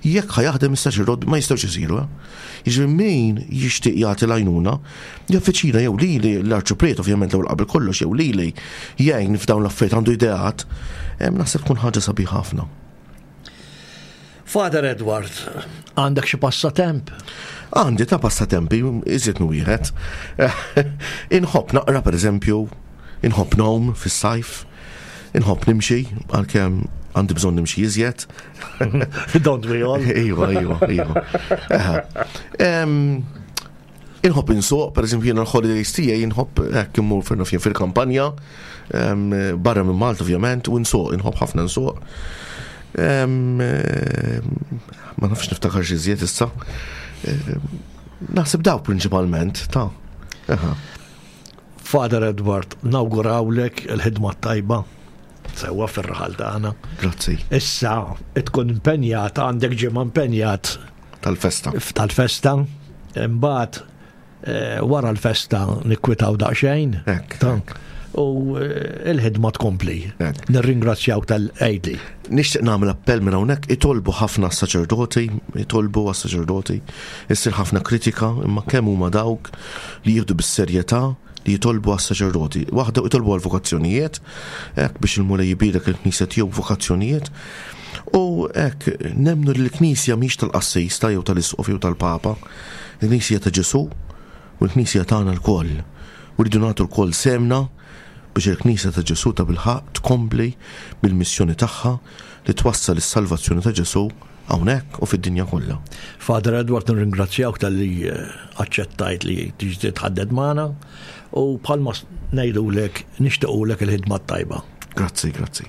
jekk ħa jaħdem is-saċerdot, ma jistgħux isiru. Jiġifieri min jixtieq jagħti l-għajnuna, jaffiċina jew lili l-Arċipriet ovvjament l-ewwel qabel kollox jew lili jgħin f'dawn l-affarijiet, għandu ideat, naħseb tkun ħaġa sabiħa ħafna. Father Edward, għandek xi passatemp? Għandi ta' passatempi, iżjed minn wieħed. Inħobb naqra pereżempju, inħobb ngħum fis-sajf, inħobb nimxi, għalkemm għandi bżonn nimxi iżjed. Don't we all? Iva, iva, iva. Inħobb insuq, per eżempju, jiena l-holidays tiegħi inħobb hekk immur fil-kampanja, barra minn Malta ovvjament, u nsuq, inħobb ħafna nsuq. Ma nafx niftakar xi żjed issa. Naħseb daw prinċipalment, ta' Father Edward, nawgurawlek il-ħidma tajba sewwa fir-raħal tagħna. Grazzi. Issa tkun impenjat, għandek ġimgħa impenjat tal-festa. Tal-festa. Imbagħad wara l-festa nikkwitaw daqsxejn. U il-ħidma tkompli. Nirringrazzjaw tal-għidli. Nixtieq nagħmel appell minn hawnhekk, itolbu ħafna s-saċerdoti, itolbu għas-saċerdoti, issir ħafna kritika, imma kemm huma dawk li jieħdu bis-serjetà li jitolbu għas-saċerdoti. Waħda jitolbu għal-vokazzjonijiet, hekk biex il-Mulej jbierek il-Knisja tiegħu vokazzjonijiet. U hekk nemmnu li l-Knisja mhix tal-qassis ta' jew tal-Isqof jew tal-Papa, il-Knisja ta' Ġesù u l-Knisja tagħna lkoll. U rridu nagħtu lkoll semna biex il-Knisja ta' Ġesù ta' bilħaqq tkompli bil-missjoni tagħha li twassal is-salvazzjoni ta' Ġesù hawnhekk u fid-dinja kollha. Father Edward, nirringrazzjawk talli aċċettajt li tiġi titħadded magħna u bħalma ngħidulek nixtiequlek il-ħidma tajba. Grazzi, grazzi.